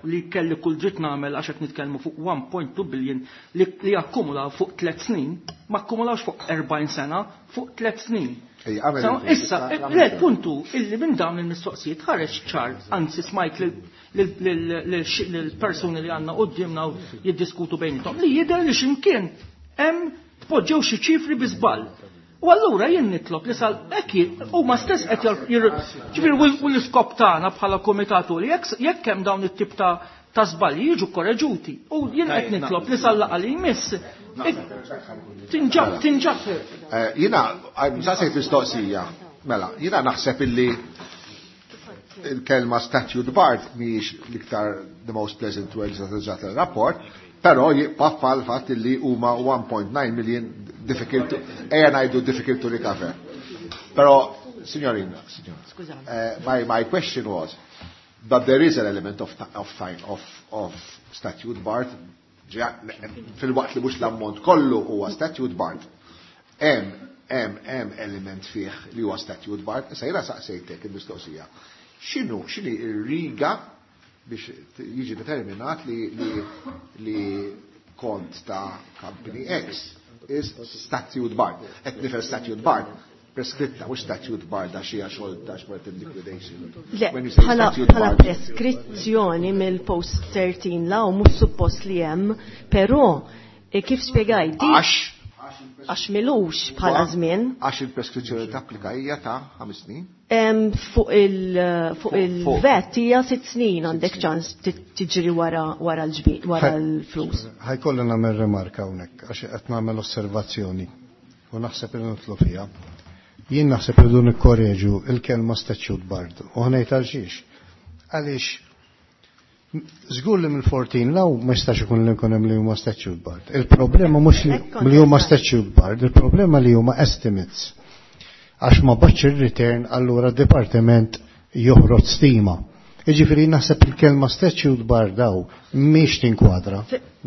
li kelli kull dritt nagħmel għax qed nitkellmu fuq one point two billion li akkumulaw fuq tliet snin, ma akkumulawx fuq erbgħin sena, fuq tliet snin. Issa, le puntu illi minn dawn il-mistoqsijiet ħareġ ċar, anzi smajt lill-persuni li għandna quddiemna jiddiskutu bejniethom li jidher li x'imkien hemm tpoġġew xi ċifri bi żball. U allura jien nitlob li sal hekk huma stess qed ġifieri u l-iskop tagħna bħala komitatu li jekk hemm dawn it-tip ta' ta' żbalji jiġu korreġuti. U jien qed nitlob li sal laqgħa li jmiss tinġab tinġab. Jiena saqsejt mistoqsija. Mela, jiena naħseb illi il-kelma statute barred mhijiex l-iktar the most pleasant words that użat il-rapport, però jibqa' l-fatt li huma one point nine million difficult to, ejja ngħidu difficult to recover. Però, signorina, signorina, uh, my, my question was that there is an element of, of, of, of statute barred, fil-waqt li mhux l-ammont kollu huwa statute barred. Hemm hemm hemm element fih li huwa statute barred, issa jiena saqsejtek il-mistoqsija. X'inhu x'inhi r-riga biex jiġi determinat li, li, li kont ta' company X is statute barred. Qed nifhem statute barred preskritta, mhux statute barred għax hija xogħol ta' xogħol in liquidation. Le, bħala preskrizzjoni mill-post thirteen law mhux suppost li hemm, però kif spjegajt għax għax milux bħala żmien. Għax il-preskrizzjoni tapplika hija ta' ħames snin. Fuq il-vet hija sitt snin għandek ċans tiġri wara wara l-ġbir wara l-flus. Ħajkolli nagħmel rimarka hawnhekk għax qed nagħmel osservazzjoni u naħseb li nitlu fiha. Jien naħseb li dun ikkoreġu il-kelma statute barred u ħnejt għal xiex. Għaliex żgur li mill-fourteen law ma jistax ikun li nkun hemm li huma statute barred. Il-problema mhux li huma statute barred, il-problema li huma estimates. Għax ma baċ il-return allura d-dipartiment joħroġ stima. Jiġifieri naħseb il-kelma statute barred daw mhix tinkwadra.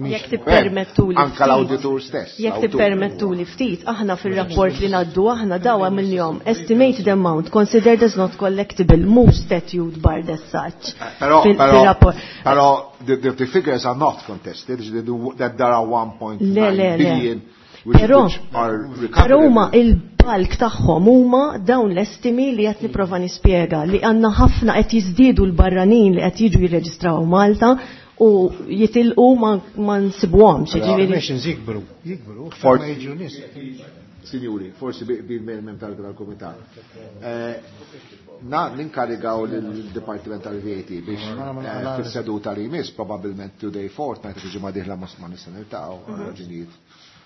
Jekk tippermettuli anke l-awditur stess. Jekk tippermettuli ftit, aħna fir-rapport li ngħaddu aħna daw għamilniehom estimated amount considered as not collectible, mhux statute barred as such. Però però the, the, the figures are not contested, that there are one point nine billion. Però però huma il-balk tagħhom huma dawn l-estimi li qed nipprova nispjega li għandna ħafna qed jiżdiedu l-barranin li qed jiġu jirreġistraw Malta u jitilqu ma nsibuhomx. Ġifieri jikbru, jikbru, ma jiġu nies. Sinjuri, forsi bil-mem tal-kumitat. Na ninkarigaw l-Dipartiment tal-V A T biex fis-seduta li jmiss, probabbilment today fortnight ġimgħa dieħla ma nista' niltaqgħu raġunijiet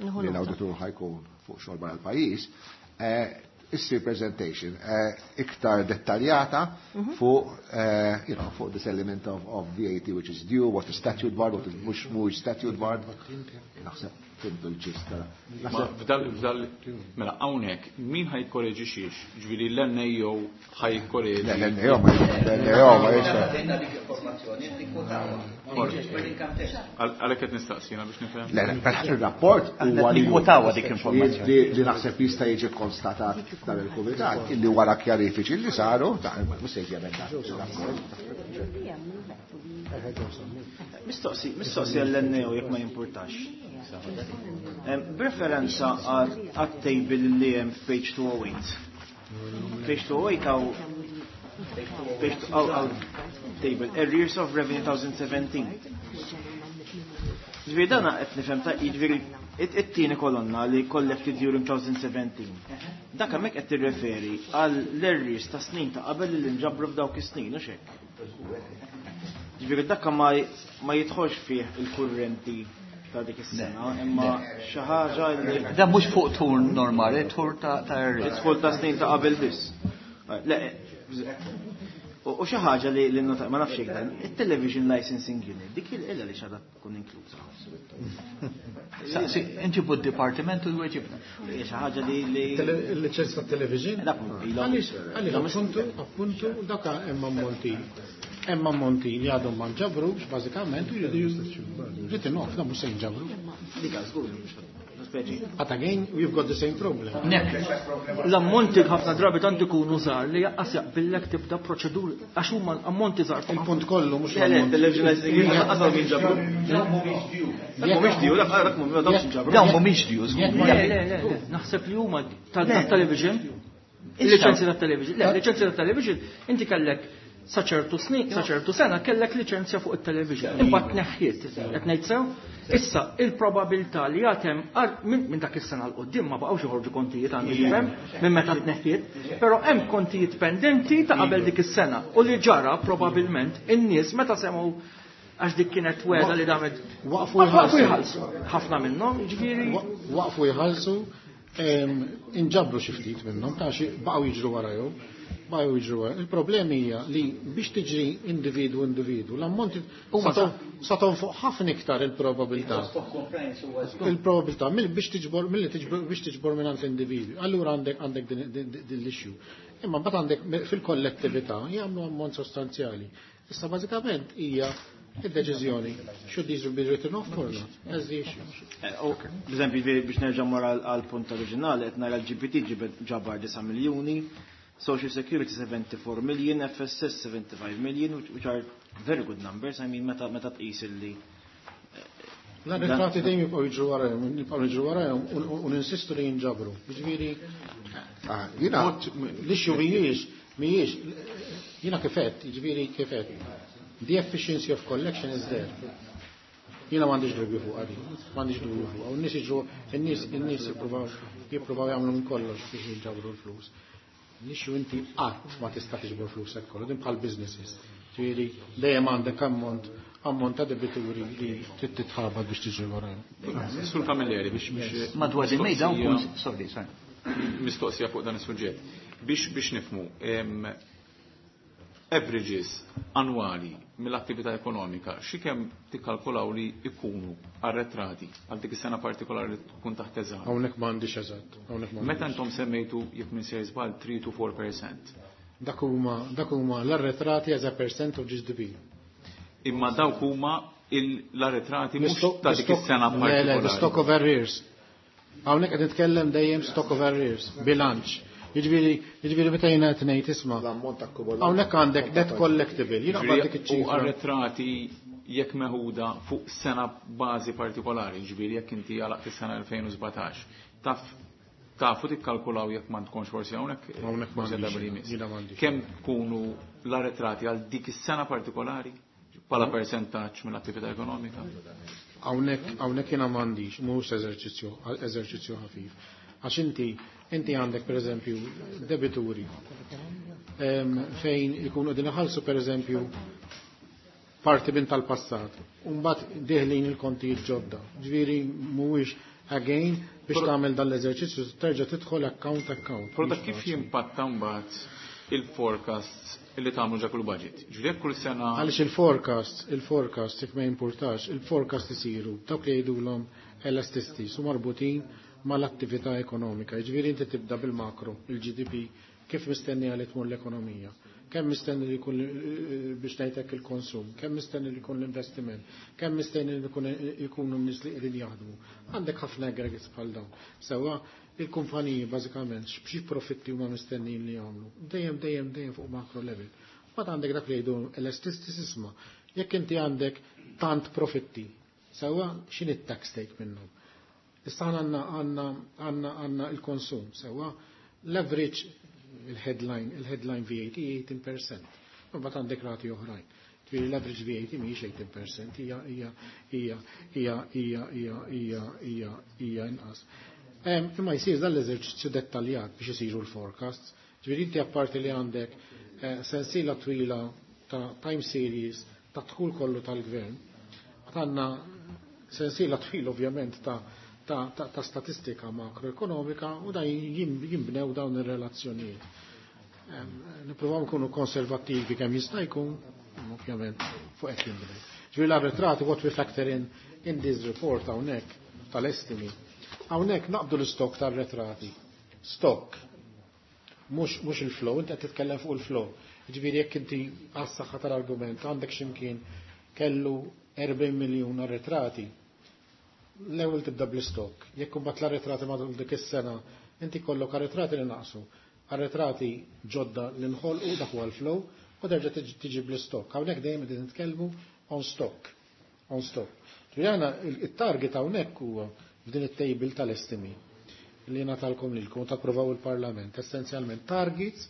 li l-awditur ħajkun fuq xogħol barra l-pajjiż, issir presentation iktar dettaljata fuq you know, fuq this element of, of V A T which is due, what is statute barred, what is mhux mhux statute barred. Naħseb fimtu l-ġista. F'dal f'dal mela hawnhekk min ħajkorreġi xiex? Ġifieri l-N A O ħajkorreġi. Le, l-N A O ma l-N A O ma jista'. Għalhekk qed nistaqsina biex nifhem. Le, le, però ir-rapport huwa li nikkwotawha dik informazzjoni. Li naħseb jista' jiġi konstatat dan il-kumitat illi wara kjarifiċi li saru, ta' mhux se jiġi emendat ir-rapport. Mistoqsi, mistoqsi għall-N A O jekk ma jimpurtax. B'referenza għat-table li hemm f'page two oh eight. Page two oh eight għaw page għaw table arrears of revenue twenty seventeen. Ġifieri dan qed nifhem ta' jiġifieri it-tieni kolonna li collected during twenty seventeen. Dak hemmhekk qed tirreferi għal l-arrears ta' snin ta' qabel li nġabru f'dawk is-snin u x'hekk. Ġifieri dak ma jidħolx fih il-kurrenti ta' dik is-sena, imma xi ħaġa li Dan mhux fuq tur normali, tur ta' ta' arrears. Idħol ta' snin ta' qabel biss. Le, u xi ħaġa li li nota ma nafx hekk dan, it-television licensing unit, dik il-illa li x'għadha tkun inkluża. Saqsi, inġibu d-dipartiment u jweġibna. Hija xi ħaġa li li Il-liċenza tat-television? Dak ilhom. Għaliex, għaliex, appuntu, appuntu, dak hemm ammonti Hemm ammonti li għadhom ma nġabrux bażikament u written off, da mhux se jinġabru. But again, we've got the same problem. L-ammonti ħafna drabi tant ikunu żgħar li jaqqas jaqbillek tibda proċeduri għax huma ammonti żgħar. Il-punt kollu mhux Le, le, television qasam jinġabru. Mhumiex due, dak mhumiex jinġabru. Dawn mhumiex due, żgur. Le, le, le, le, naħseb li huma tal-television, il-liċenzja tat-television, le, liċenzja tat-television, inti kellek sa ċertu snin, sa ċertu sena kellek liċenzja fuq it-television. Imbagħad tneħħiet, qed ngħid sew. Issa il-probabilità li għatem minn dak is-sena l quddiem ma baqgħux joħorġu kontijiet għandi tifhem minn meta tneħħiet, però hemm kontijiet pendenti ta' qabel dik is-sena u li ġara probabbilment in-nies meta semgħu għax dik kienet weda li damet Waqfu waqfu jħallsu. jħallsu. Ħafna minnhom, jiġifieri Waqfu jħallsu, em, inġabru xi ftit minnhom, ta' xi baqgħu jiġru warajhom, baqgħu jiġru wara. Il-problemi hija li biex tiġri individwu individwu, l-ammonti sa tonfoq ħafna iktar il-probabilità. Il-probabilità mill biex tiġbor milli tiġbor biex tiġbor minn l-individwi. Allura għandek għandek din din l-issue. Imma mbagħad għandek fil-kollettività jagħmlu ammont sostanzjali. Issa bażikament hija id-deċiżjoni should these be written off or not? That's the issue. Per biex nerġa' mor għal punt oriġinali, qed nara l-G P T ġabar disa' miljuni, Social Security seventy-four million, F S S seventy-five million, which, which are very good numbers. I mean, meta meta tqis illi L-arretrati dejjem jibqgħu jiġru warajhom, jibqgħu jiġru warajhom u ninsistu li jinġabru. Jiġifieri Ah, Jiena l-issue mhijiex mhijiex jiena kif għedt, jiġifieri kif għedt. The efficiency of collection is there. Jiena m'għandix dubju fuq għadi, m'għandix dubju fuq. U n-nies jiġru, in-nies in-nies jippruvaw jippruvaw jagħmlu minn kollox biex jinġabru l-flus. L-issue inti qatt ma tista' tiġbor flusek kollu, din bħal businesses. Ġifieri dejjem għandek ammont ammont ta' debituri li trid titħabat biex tiġri warajhom. Sur Camilleri, biex biex Madwar il-mejda nkun, sorry, sorry. Mistoqsija fuq dan is-suġġett. Biex biex nifmu, em, averages annwali mill-attività ekonomika, xi kemm tikkalkulaw li ikunu arretrati għal dik is-sena partikolari li tkun taħt eżami? Hawnhekk m'għandix eżatt, hawnhekk Meta m'għandix. intom semmejtu, jekk minn sejjer żball, three to four percent. Dak huma dak huma l-arretrati as a percent of G D P. Imma dawk huma il- l-arretrati mhux L-istock- ta' dik is-sena Le, le, the partikolari. stock of arrears. Hawnhekk qed nitkellem dejjem stock of arrears, bilanċ. Jiġifieri jiġifieri meta jiena qed ngħid isma' L-ammont akkumulat. Hawnhekk għandek net collectible. Jiena qbad dik U iċ-ċifra. arretrati jekk meħuda fuq sena bażi partikolari, ġifieri jekk inti għalaqt is-sena elfejn u sbatax, taf tafu tikkalkulaw, jekk ma tkunx forsi hawnhekk Hawnhekk forsi m'għandix, darba li jmiss. Jiena m'għandix. Kemm tkunu l-arretrati għal dik is-sena partikolari bħala percentaġġ mill-attività ekonomika? Hawnhekk hawnhekk jiena m'għandix, mhux eżerċizzju eżerċizzju ħafif. Għax inti inti għandek pereżempju debituri em, fejn ikunu qegħdin iħallsu pereżempju parti minn tal-passat. U mbagħad deħlin il-kontijiet ġodda. Ġifieri mhuwiex again biex tagħmel dan l-eżerċizzju terġa' tidħol account account. Però dak kif jimpatta mbagħad il-forecasts li tagħmlu ġa kull budget? Ġifieri jekk kull sena Għaliex il-forecast, il-forecast, jekk ma jimpurtax, il-forecast isiru dawk li jgħidulhom elasticities u marbutin mal-attività ekonomika. Jiġifieri inti tibda bil-makro, il-G D P, kif mistenni għal tmur l-ekonomija, kemm mistenni li jkun eh, biex ngħidlek il-konsum, kemm mistenni li jkun l-investiment, kemm mistenni li jkun ikunu n-nies li qegħdin jaħdmu. Għandek ħafna aggregates bħal dawn. Sewwa il-kumpaniji bażikament xi profitti huma mistennijin li jagħmlu. Dejjem dejjem dejjem fuq macro level. Mbagħad għandek dak li jgħidu elasticities, isma'. Jekk inti għandek tant profitti, sewwa, x'inhi t-tax take minnhom? Issa għandna għandna għandna għandna il-konsum, sewwa, l-average il-headline, il-headline V A T eighteen percent. Mbagħad għandek rati oħrajn. Ġifieri l-average V A T mhijiex eighteen percent, hija hija hija hija hija hija hija hija hija inqas. Em, Imma jsir dan l-eżerċizzju dettaljat biex isiru l-forecasts. Ġifieri inti apparti li għandek eh, sensiela twila ta' time series ta' dħul kollu tal-gvern, għandna sensiela twila ovvjament ta' ta', ta, ta statistika makroekonomika u da jim- jimbnew dawn ir-relazzjonijiet. Em, Nippruvaw nkunu konservattivi kemm jista' jkun, ovvjament fuq hekk jinbnew. Ġifieri l-arretrati, what we factor in in this report hawnhekk tal-estimi. Hawnhekk naqbdu l-stock tal-arretrati. Stock. Mhux mhux il-flow, inti qed titkellem fuq il-flow. Ġifieri jekk inti għas-saħħa tal-argument għandek x'imkien kellu erbgħin miljun arretrati, l-ewwel tibda bl-istok. Jekk imbagħad l-arretrati matul dik is-sena inti kollok arretrati li naqsu, arretrati ġodda li nħolqu, dak huwa l-flow, u terġa' tiġi bl-istok. Hawnhekk dejjem qegħdin nitkellmu on stock. On stock. Ġifieri it-target hawnhekk huwa f'din it-table tal-estimi li natalkom lilkom tapprovaw il-Parlament, essenzjalment targets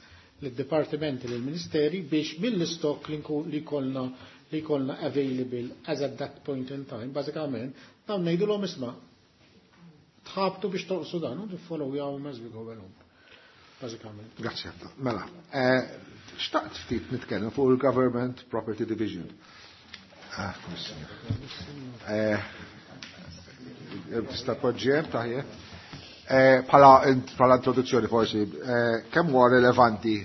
lid-dipartimenti, lill-ministeri, biex mill-istok li kollna li kollna available as at that point in time, bażikament, dawn ngħidulhom isma' tħabtu biex toqsu dan u tiffollow jawhom as we go along. Bażikament. Grazzi ħafna. Mela, xtaqt ftit nitkellem fuq il-Government Property Division. Ah, tista' poġġiem taħjeb. Bħala introduzzjoni forsi, kemm huwa relevanti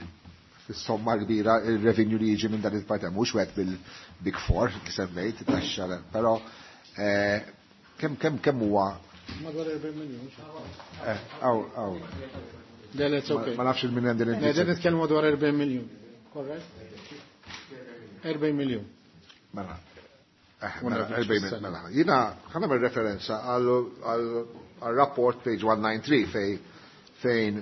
fis-somma kbira il-revenue li jiġi minn dan il-parti, mhux wieħed bil-Big Four li semmejt, taxxa, però kemm kemm kemm huwa? Madwar erbgħin miljun. Aw, aw. Okay. Ma nafx il-min għandin. Qegħdin nitkellmu madwar erbgħin miljun. Korrett? erbgħin miljun. Mela. erbgħin miljun. Mela. Jiena ħa nagħmel referenza għal rapport page one ninety-three fej fejn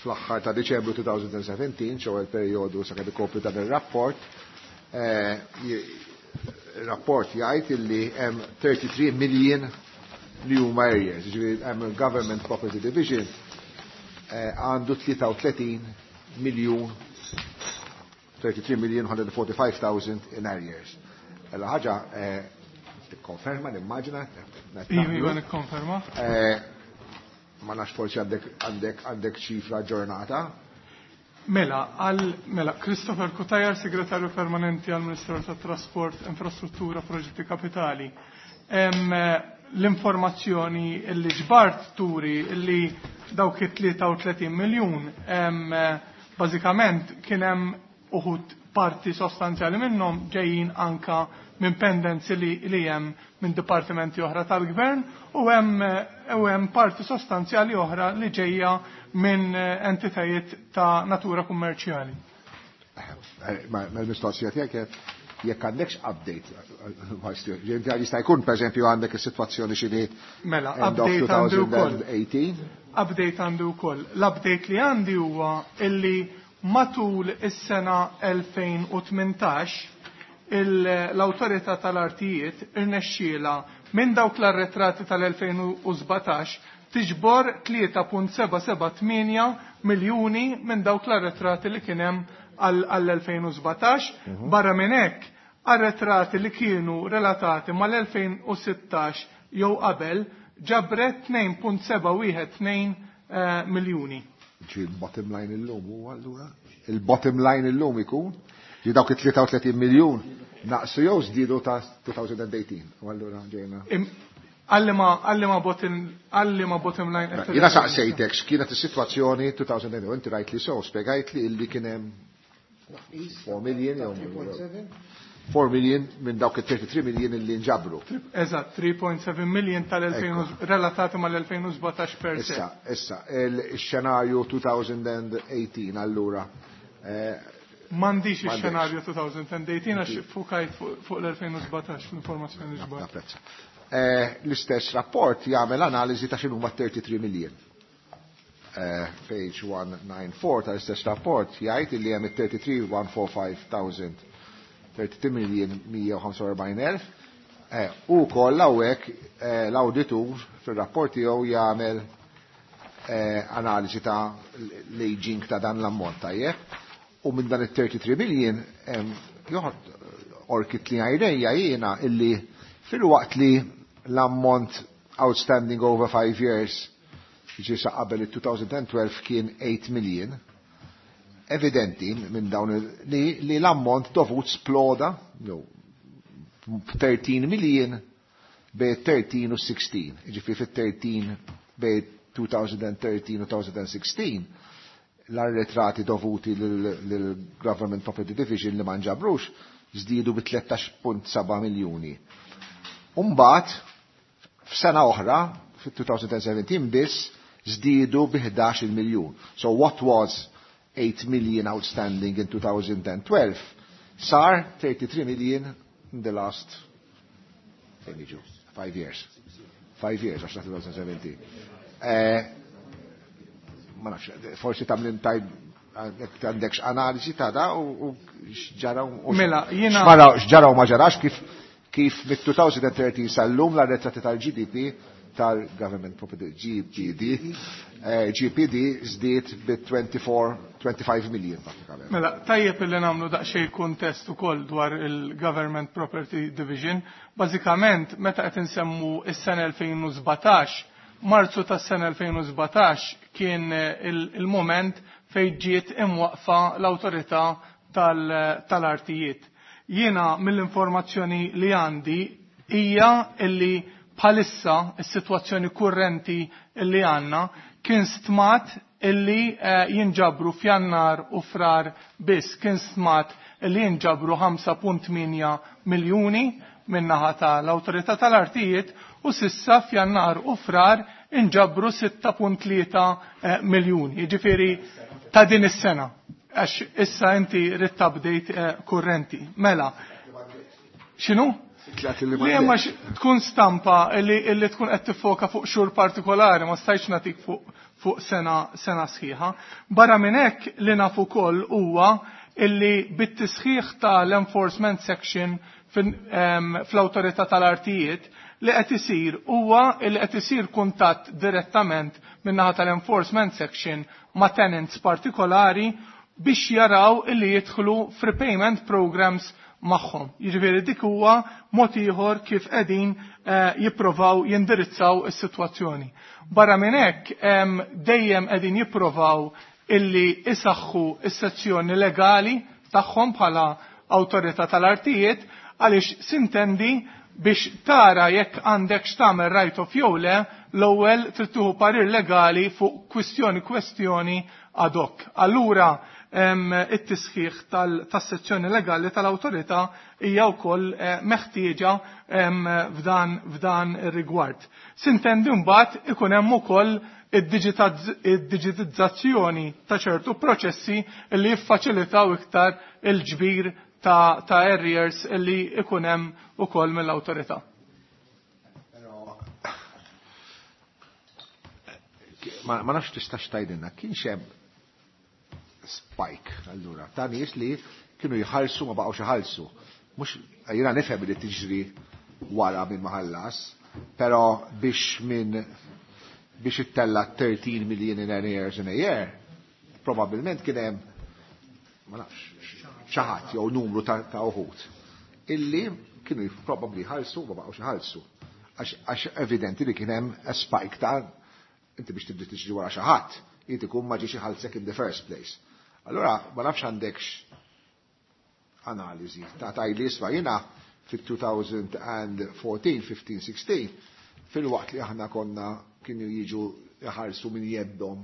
fl-aħħar ta' Diċembru twenty seventeen, ċew il-perjodu sakemm ikopri dan ir-rapport, il-rapport jgħid illi hemm thirty-three million li huma arrears, jiġifieri hemm il-Government Property Division għandu tlieta u tletin miljun, thirty-three million one hundred forty-five thousand in arrears. Ella ħaġa tikkonferma, nimmaġina. Iva, nikkonferma. Ma nafx forsi għandek għandek għandek ċifra ġurnata. Mela, għal mela Christopher Cutajar, segretarju permanenti għal Ministeru tat-Trasport, Infrastruttura, Proġetti Kapitali. L-informazzjoni li ġbart turi li dawk it-tlieta u tletin miljun, bażikament kien hemm uħud parti sostanzjali minnhom ġejjin anka minn pendenzi li, li hemm minn dipartimenti oħra tal-gvern u hemm u hemm parti sostanzjali oħra li ġejja minn entitajiet ta' natura kummerċjali. Ma l-mistoqsija tiegħek jekk għandekx update, jista' jkun pereżempju għandek is-sitwazzjoni xi Mela, update għandi wkoll. Update għandi wkoll. L-update li għandi huwa illi matul is-sena elfejn u tmintax l-awtorità tal-artijiet irnexxiela minn dawk l-arretrati tal-elfejn u sbatax tiġbor tlieta punt seba' seba' tmienja miljuni minn dawk l-arretrati li kien hemm għall-elfejn u sbatax. Barra minn hekk, arretrati li kienu relatati mal-elfejn u sittax jew qabel ġabret tnejn punt seba' wieħed tnejn miljuni. Ġi il-bottom line illum huwa allura? Il-bottom line illum ikun? Ġi dawk it-tlieta u tletin miljun naqsu jew żdiedu ta' two thousand eighteen. U allura ġejna. Għalli ma bottom, għalli ma bottom line qed Jiena saqsejtek x'kienet is-sitwazzjoni two thousand eighteen, u inti rajt li sew, spjegajt li illi kien hemm four million jew four million minn dawk it-thirty-three million illi nġabru. Eżatt, three point seven million tal-elfejn u relatati mal-elfejn u sbatax per se. Issa, issa, il-xenarju two thousand eighteen allura. M'għandix M'għandix. ix-xenarju two thousand eighteen għax fukajt fuq l-elfejn u sbatax l-informazzjoni li ġbart. Napprezza. L-istess rapport jagħmel analiżi ta' x'inhuma thirty-three million. Page one nine four tal-istess rapport jgħid illi hemm it-thirty-three one four five thousand, thirty-three million mija u ħamsa u erbgħin elf. U wkoll hawnhekk l-awditur fir-rapport tiegħu jagħmel analiżi ta' l-aging ta' dan l-ammont tajjeb. U minn dan it-thirty-three million joħod orkit li għajrejja jiena illi fil-waqt li l-ammont outstanding over five years ġi sa qabel il-two thousand twelve kien eight million, evidenti minn dawn li, li l-ammont dovut sploda, no, thirteen million bej thirteen u sixteen. Ġifieri fit-thirteen bej two thousand thirteen u two thousand sixteen l-arretrati dovuti lill-Government Property Division li ma nġabrux żdiedu bi tlettax punt seba' miljuni. Umbagħad f'sena oħra, fit-two thousand seventeen biss, żdiedu bi ħdax-il miljun. So what was eight million outstanding in two thousand twelve sar thirty-three million in the last five years. Five years, għax twenty seventeen. Eh, ma nafx, forsi tagħmel tajb għandekx analiżi ta' da u x'ġara u Mela, jiena x'ġara u ma ġarax, kif kif mit-twenty thirteen sal-lum l-arretrati tal-G D P, tal-Government Property G P D, eh, G P D żdied bi twenty-four, twenty-five million pratikament. Mela, tajjeb li nagħmlu daqsxejn kuntest ukoll dwar il-Government Property Division. Bażikament, meta qed insemmu is-sena elfejn u sbatax, Marzu tas-sena elfejn u sbatax kien il-moment fejn ġiet imwaqfa l-awtorità tal-artijiet. Jiena mill-informazzjoni li għandi hija illi bħalissa is-sitwazzjoni kurrenti illi għandna kien stmat illi eh, jinġabru f'Jannar u Frar biss, kien stmat illi jinġabru ħamsa punt tmienja miljuni min-naħa tal-Awtorità tal-Artijiet u s'issa f'Jannar u Frar inġabru sitta punt tlieta eh, miljuni. Jiġifieri ta' din is-sena. Għax issa inti ridt update eh, kurrenti. Mela, x'inhu? Li ma tkun stampa illi, illi tkun qed tiffoka fuq xhur partikolari, ma stajtx nagħtik fuq fuq sena, sena sħiħa. Barra minn hekk, li nafu ukoll huwa illi bit-tisħiħ tal-enforcement section fl-awtorità tal-artijiet, li qed isir huwa li qed isir kuntatt direttament min-naħa tal-enforcement section ma' tenants partikolari biex jaraw illi jidħlu f'repayment programs magħhom. Jiġifieri dik huwa mod ieħor kif qegħdin eh, jipprovaw jindirizzaw is-sitwazzjoni. Barra minn hekk, dejjem qegħdin jipprovaw illi isaħħu is-sezzjoni legali tagħhom bħala awtorità tal-artijiet, għaliex sintendi biex tara jekk għandek x'tagħmel write off jew le, l-ewwel trid tieħu parir legali fuq kwistjoni kwestjoni ad hoc. Allura it-tisħiħ tas-sezzjoni legali tal-awtorità hija wkoll eh, meħtieġa f'dan f'dan ir-rigward. Sintendi mbagħad ikun hemm ukoll id-diġitizzazzjoni ta' ċertu proċessi li jiffaċilitaw iktar il-ġbir ta', ta arrears li ikun hemm ukoll mill-awtorità. Ma, ma nafx tistax tgħidilna, kienx hemm spike allura ta' nies li kienu jħallsu, ma baqgħux iħallsu. Mhux jiena nifhem li tiġri wara minn ma ħallas, però biex minn biex ittella thirteen million in arrears in a year, probabilment kien hemm, ma nafx, xi ħadd jew numru ta', ta' uħud illi kienu probabbli jħallsu, ma baqgħux iħallsu. Għax evidenti li kien hemm a spike ta' inti biex tibdi tiġri wara xi ħadd, jrid ikun ma ġiex iħallsek in the first place. Allora, ma nafx għandekx analiżi ta' tajli isma' jiena fit-twenty fourteen, fifteen, sixteen, fil-waqt li aħna konna kienu jiġu jħallsu minn jeddhom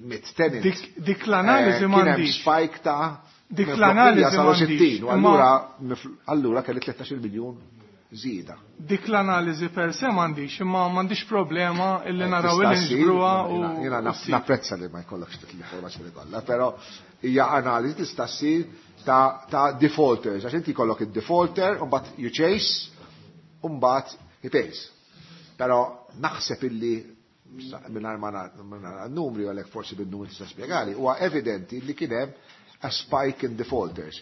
mit tenant. Dik, dik l-analiżi eh, m'għandix. Spike ta' Dik l-analiżi m'għandix. U allura allura kelli tlettax-il miljun żieda. Dik l-analiżi per se m'għandix, imma m'għandix problema illi eh, naraw illi niġbruha u. Jiena napprezza li ma jkollokx l-informazzjoni kollha, però hija analiżi tista' ssir ta', ta defaulters, għax inti jkollok id-defaulter, u mbagħad you chase, u mbagħad he pays. Però naħseb illi mingħajr ma nara numri, għalhekk forsi bin-numri tista' spjegali, huwa evidenti li kien hemm a spike in defaulters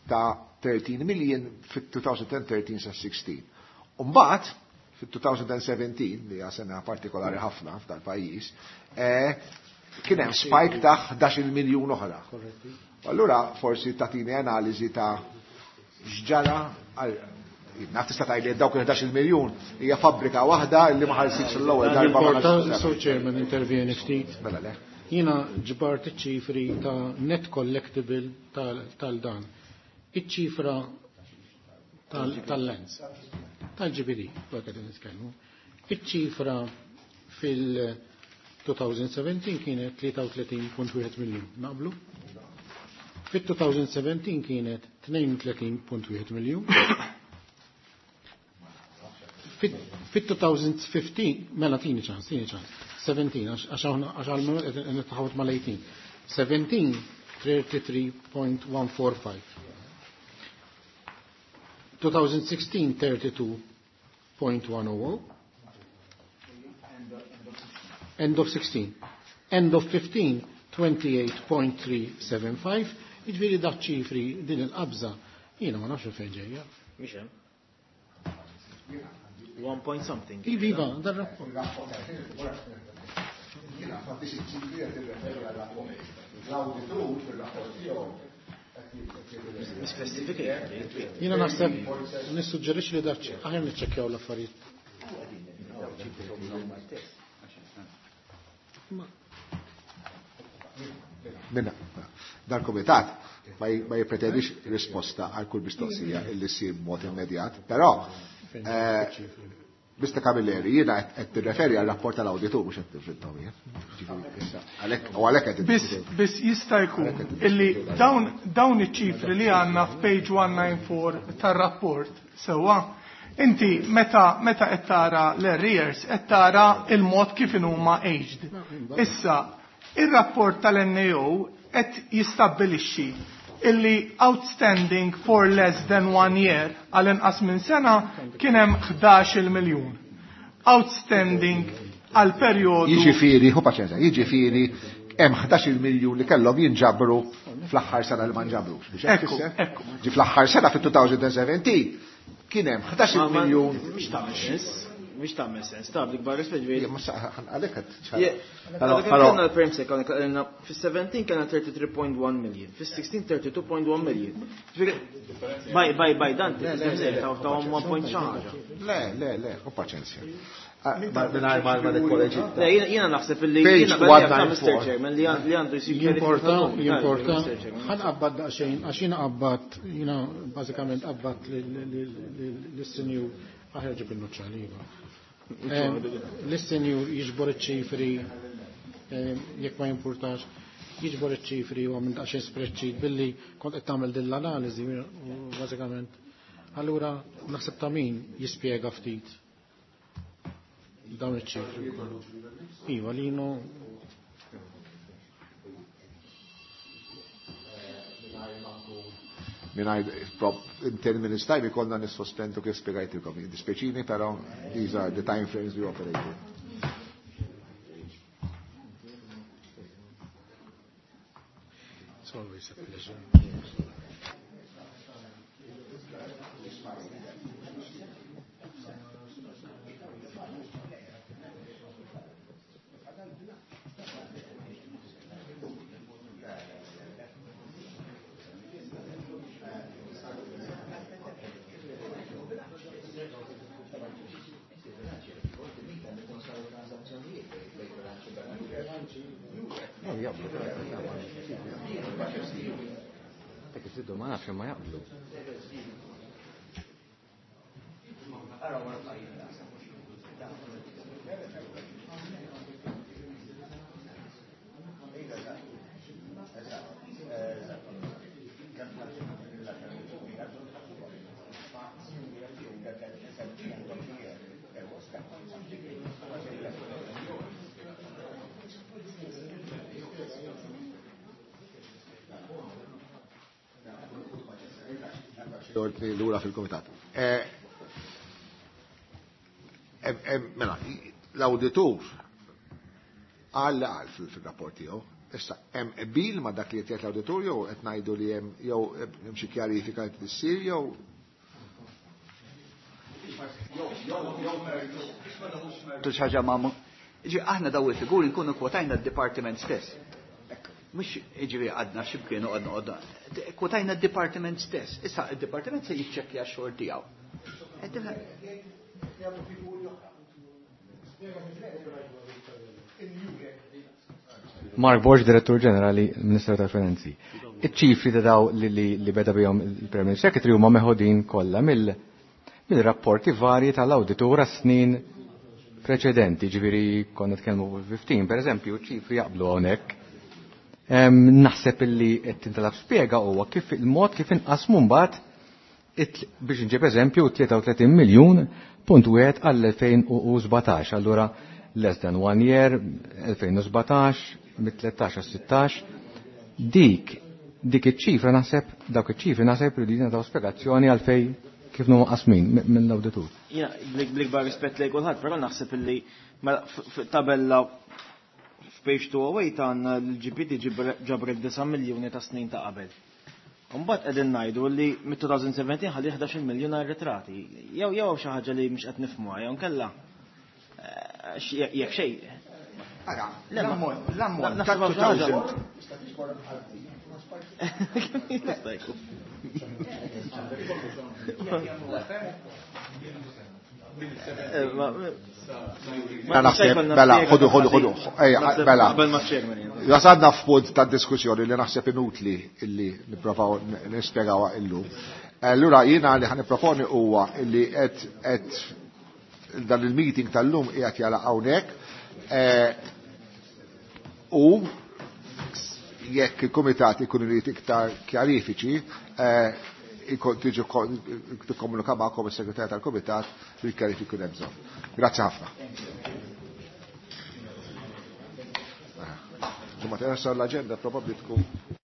ta' thirteen million fit-twenty thirteen sa sixteen. Umbagħad, fit-twenty seventeen, li hija sena partikolari ħafna f'dal-pajjiż, eh, kien hemm spike ta' ħdax-il miljun oħra. Allura forsi tagħtini analiżi ta' x'ġara. Naf tista' tgħidli dawk il-ħdax-il miljun hija fabbrika waħda li ma ħallsitx l-ewwel darba. Ma Sur Chairman, intervjeni ftit. Mela le. Jiena ġbart iċ-ċifri ta' net collectible tal-dan. Iċ-ċifra tal-lands. Tal-G P D, qed nitkellmu. Iċ-ċifra fil-twenty seventeen kienet tlieta u tletin punt wieħed miljun. Naqblu? Fit-twenty seventeen kienet tnejn u tletin punt wieħed miljun. Fit-twenty fifteen, mela tini ċans, tini ċans, seventeen, għax għal-moment qed nitħawat mal-eighteen. seventeen, thirty-three point one four five. twenty sixteen, thirty-two point one zero zero. End of sixteen. End of fifteen, twenty-eight point three seven five. Jiġifieri dak ċifri din il-qabża, jiena ma nafx fejn ġejja. Mhix hemm. One point something. Iva, dar-rapport. Jiena m'għandix iċ-ċifri qed irreferi għal-rapport. L-awditur fil-rapport tiegħu. Jiena naħseb nissuġġerixxi li dak aħjar niċċekkjaw l-affarijiet. Minna, dal-komitat ma jipretendix risposta għal kull mistoqsija illi ssir b'mod immedjat, però eh, Mister Camilleri, jiena qed tirreferi għal rapport tal-awditur, mhux qed tifrintom jien. U għalhekk qed Biss biss jista' jkun illi dawn dawn iċ-ċifri li għandna f'page one ninety-four tar-rapport sewwa, inti meta meta qed tara l-arrears qed tara il-mod kif huma aged. Issa, ir-rapport tal-N A O qed jistabbilixxi illi outstanding for less than one year, għal inqas minn sena, kien hemm ħdax-il miljun. Outstanding għal perjodu Jiġifieri, hu paċenza, jiġifieri hemm ħdax-il miljun li kellhom jinġabru fl-aħħar sena li ma nġabrux. Biex hekk Ekku, issa? Ekku. Ġi fl-aħħar sena fit-twenty seventeen kien hemm ħdax-il miljun. Mhix tagħmel sens. Mhix tagħmel sens. Ta' bl-ikbar rispett ġifieri. Ma għalhekk qed Però kellna l-perm second, kellna fis-seventeen kellna thirty-three point one million, fis-sixteen thirty-two point one million. Ġifieri baj baj baj dan ta' ta' one point xi ħaġa. Le, le, le, hu paċenzja. Mingħajr ma ma nikkoreġi. Le, jiena jiena naħseb illi Page jiena bħal Mister one ninety-four. Chairman li li għandu jsir Jimporta, jimporta. Mister Chairman. Ħa nqabbad daqsxejn, għax jiena qabbat, jiena bażikament qabbat lis-sinjur, aħjar ġib il-nuċċali, iva. Lis-sinjur jiġbor iċ-ċifri, jekk ma jimpurtax, jiġbor iċ-ċifri u għamil daqsxejn spreadsheet billi kont qed tagħmel din l-analiżi u bażikament. Allura naħseb ta' min jispjega ftit dawn iċ-ċifri. Iva, lino. Mingħajr in ten minutes time ikollna nissospendu kif spjegajtilkom. Dispjaċini, però these are the time frames we operate in. It's always a pleasure. No, jaqblu. Dak iżidu ma nafx ma jaqblu. Ordni lura fil-komitat. Eh, em- em, Mela, l-auditur għal għal fil-rapport tiegħu. Issa, hemm qbil ma' dak li qed jgħid l-awditur jew qed ngħidu li hemm jew hemm xi kjarifika qed issir jew Tu ħaġa ma' Ġi, aħna daw il-figuri nkunu kwotajna d-departiment stess. Mux ġivi għadna xibkienu għadna għadna. Kwotajna d-departiment stess. Issa il-departiment se jiċċekkja x-xogħol tiegħu. Eh, Mark Borg, Direttur Ġenerali, Ministeru tal-Finanzi. Iċ-ċifri ta' daw li, li, li beda bihom il-Permanent Secretary huma meħodin kollha mill mill-rapporti varji tal-awditur snin preċedenti, ġifieri konna tkellmu fifteen, per eżempju, ċifri jaqblu hawnhekk. Em, Naħseb illi qed tintalab spjega huwa kif il-mod kif inqasmu mbagħad Biex nġib eżempju, tlieta u tletin miljun punt wieħed għall-elfejn u sbatax. Allura less than one year, elfejn u sbatax, mit-tlettax għal sittax. Dik, dik iċ-ċifra naħseb, dawk iċ-ċifri naħseb li taw spjegazzjoni għalfej kif huma qasmin minn l-awditur. Jiena, bl-ikbar rispett lejn kulħadd, però naħseb illi mela tabella f'page two oh eight għandna l-G P T ġabret disa' miljuni ta' snin ta' qabel. Mbagħad qegħdin ngħidu li mit-elfejn u sbatax ħalli ħdax-il miljun arretrati. Jew jew xi ħaġa li mhux qed nifhmuha, jew nkella eh, jekk xejn. Ara, l-ammont, l-ammont ta' elfejn. Jista' jkun. Eh, Mela, mela, ħodu, ħodu, ħodu, ejja, mela. Wasalna f'punt ta' diskussjoni li naħseb inutli illi nipprovaw nispjegaw illum. Allura jiena li ħa nipproponi huwa illi qed qed dan il-meeting tal-lum qiegħed jagħlaq hawnhekk eh, u jekk il-kumitat ikun irid iktar kjarifiċi, eh, tiġi tikkomunika magħkom is-segretarju tal-kumitat bil-kjarifiki jkun hemm bżonn. Grazzi ħafna. Ġimgħa l-aġenda probabbli tkun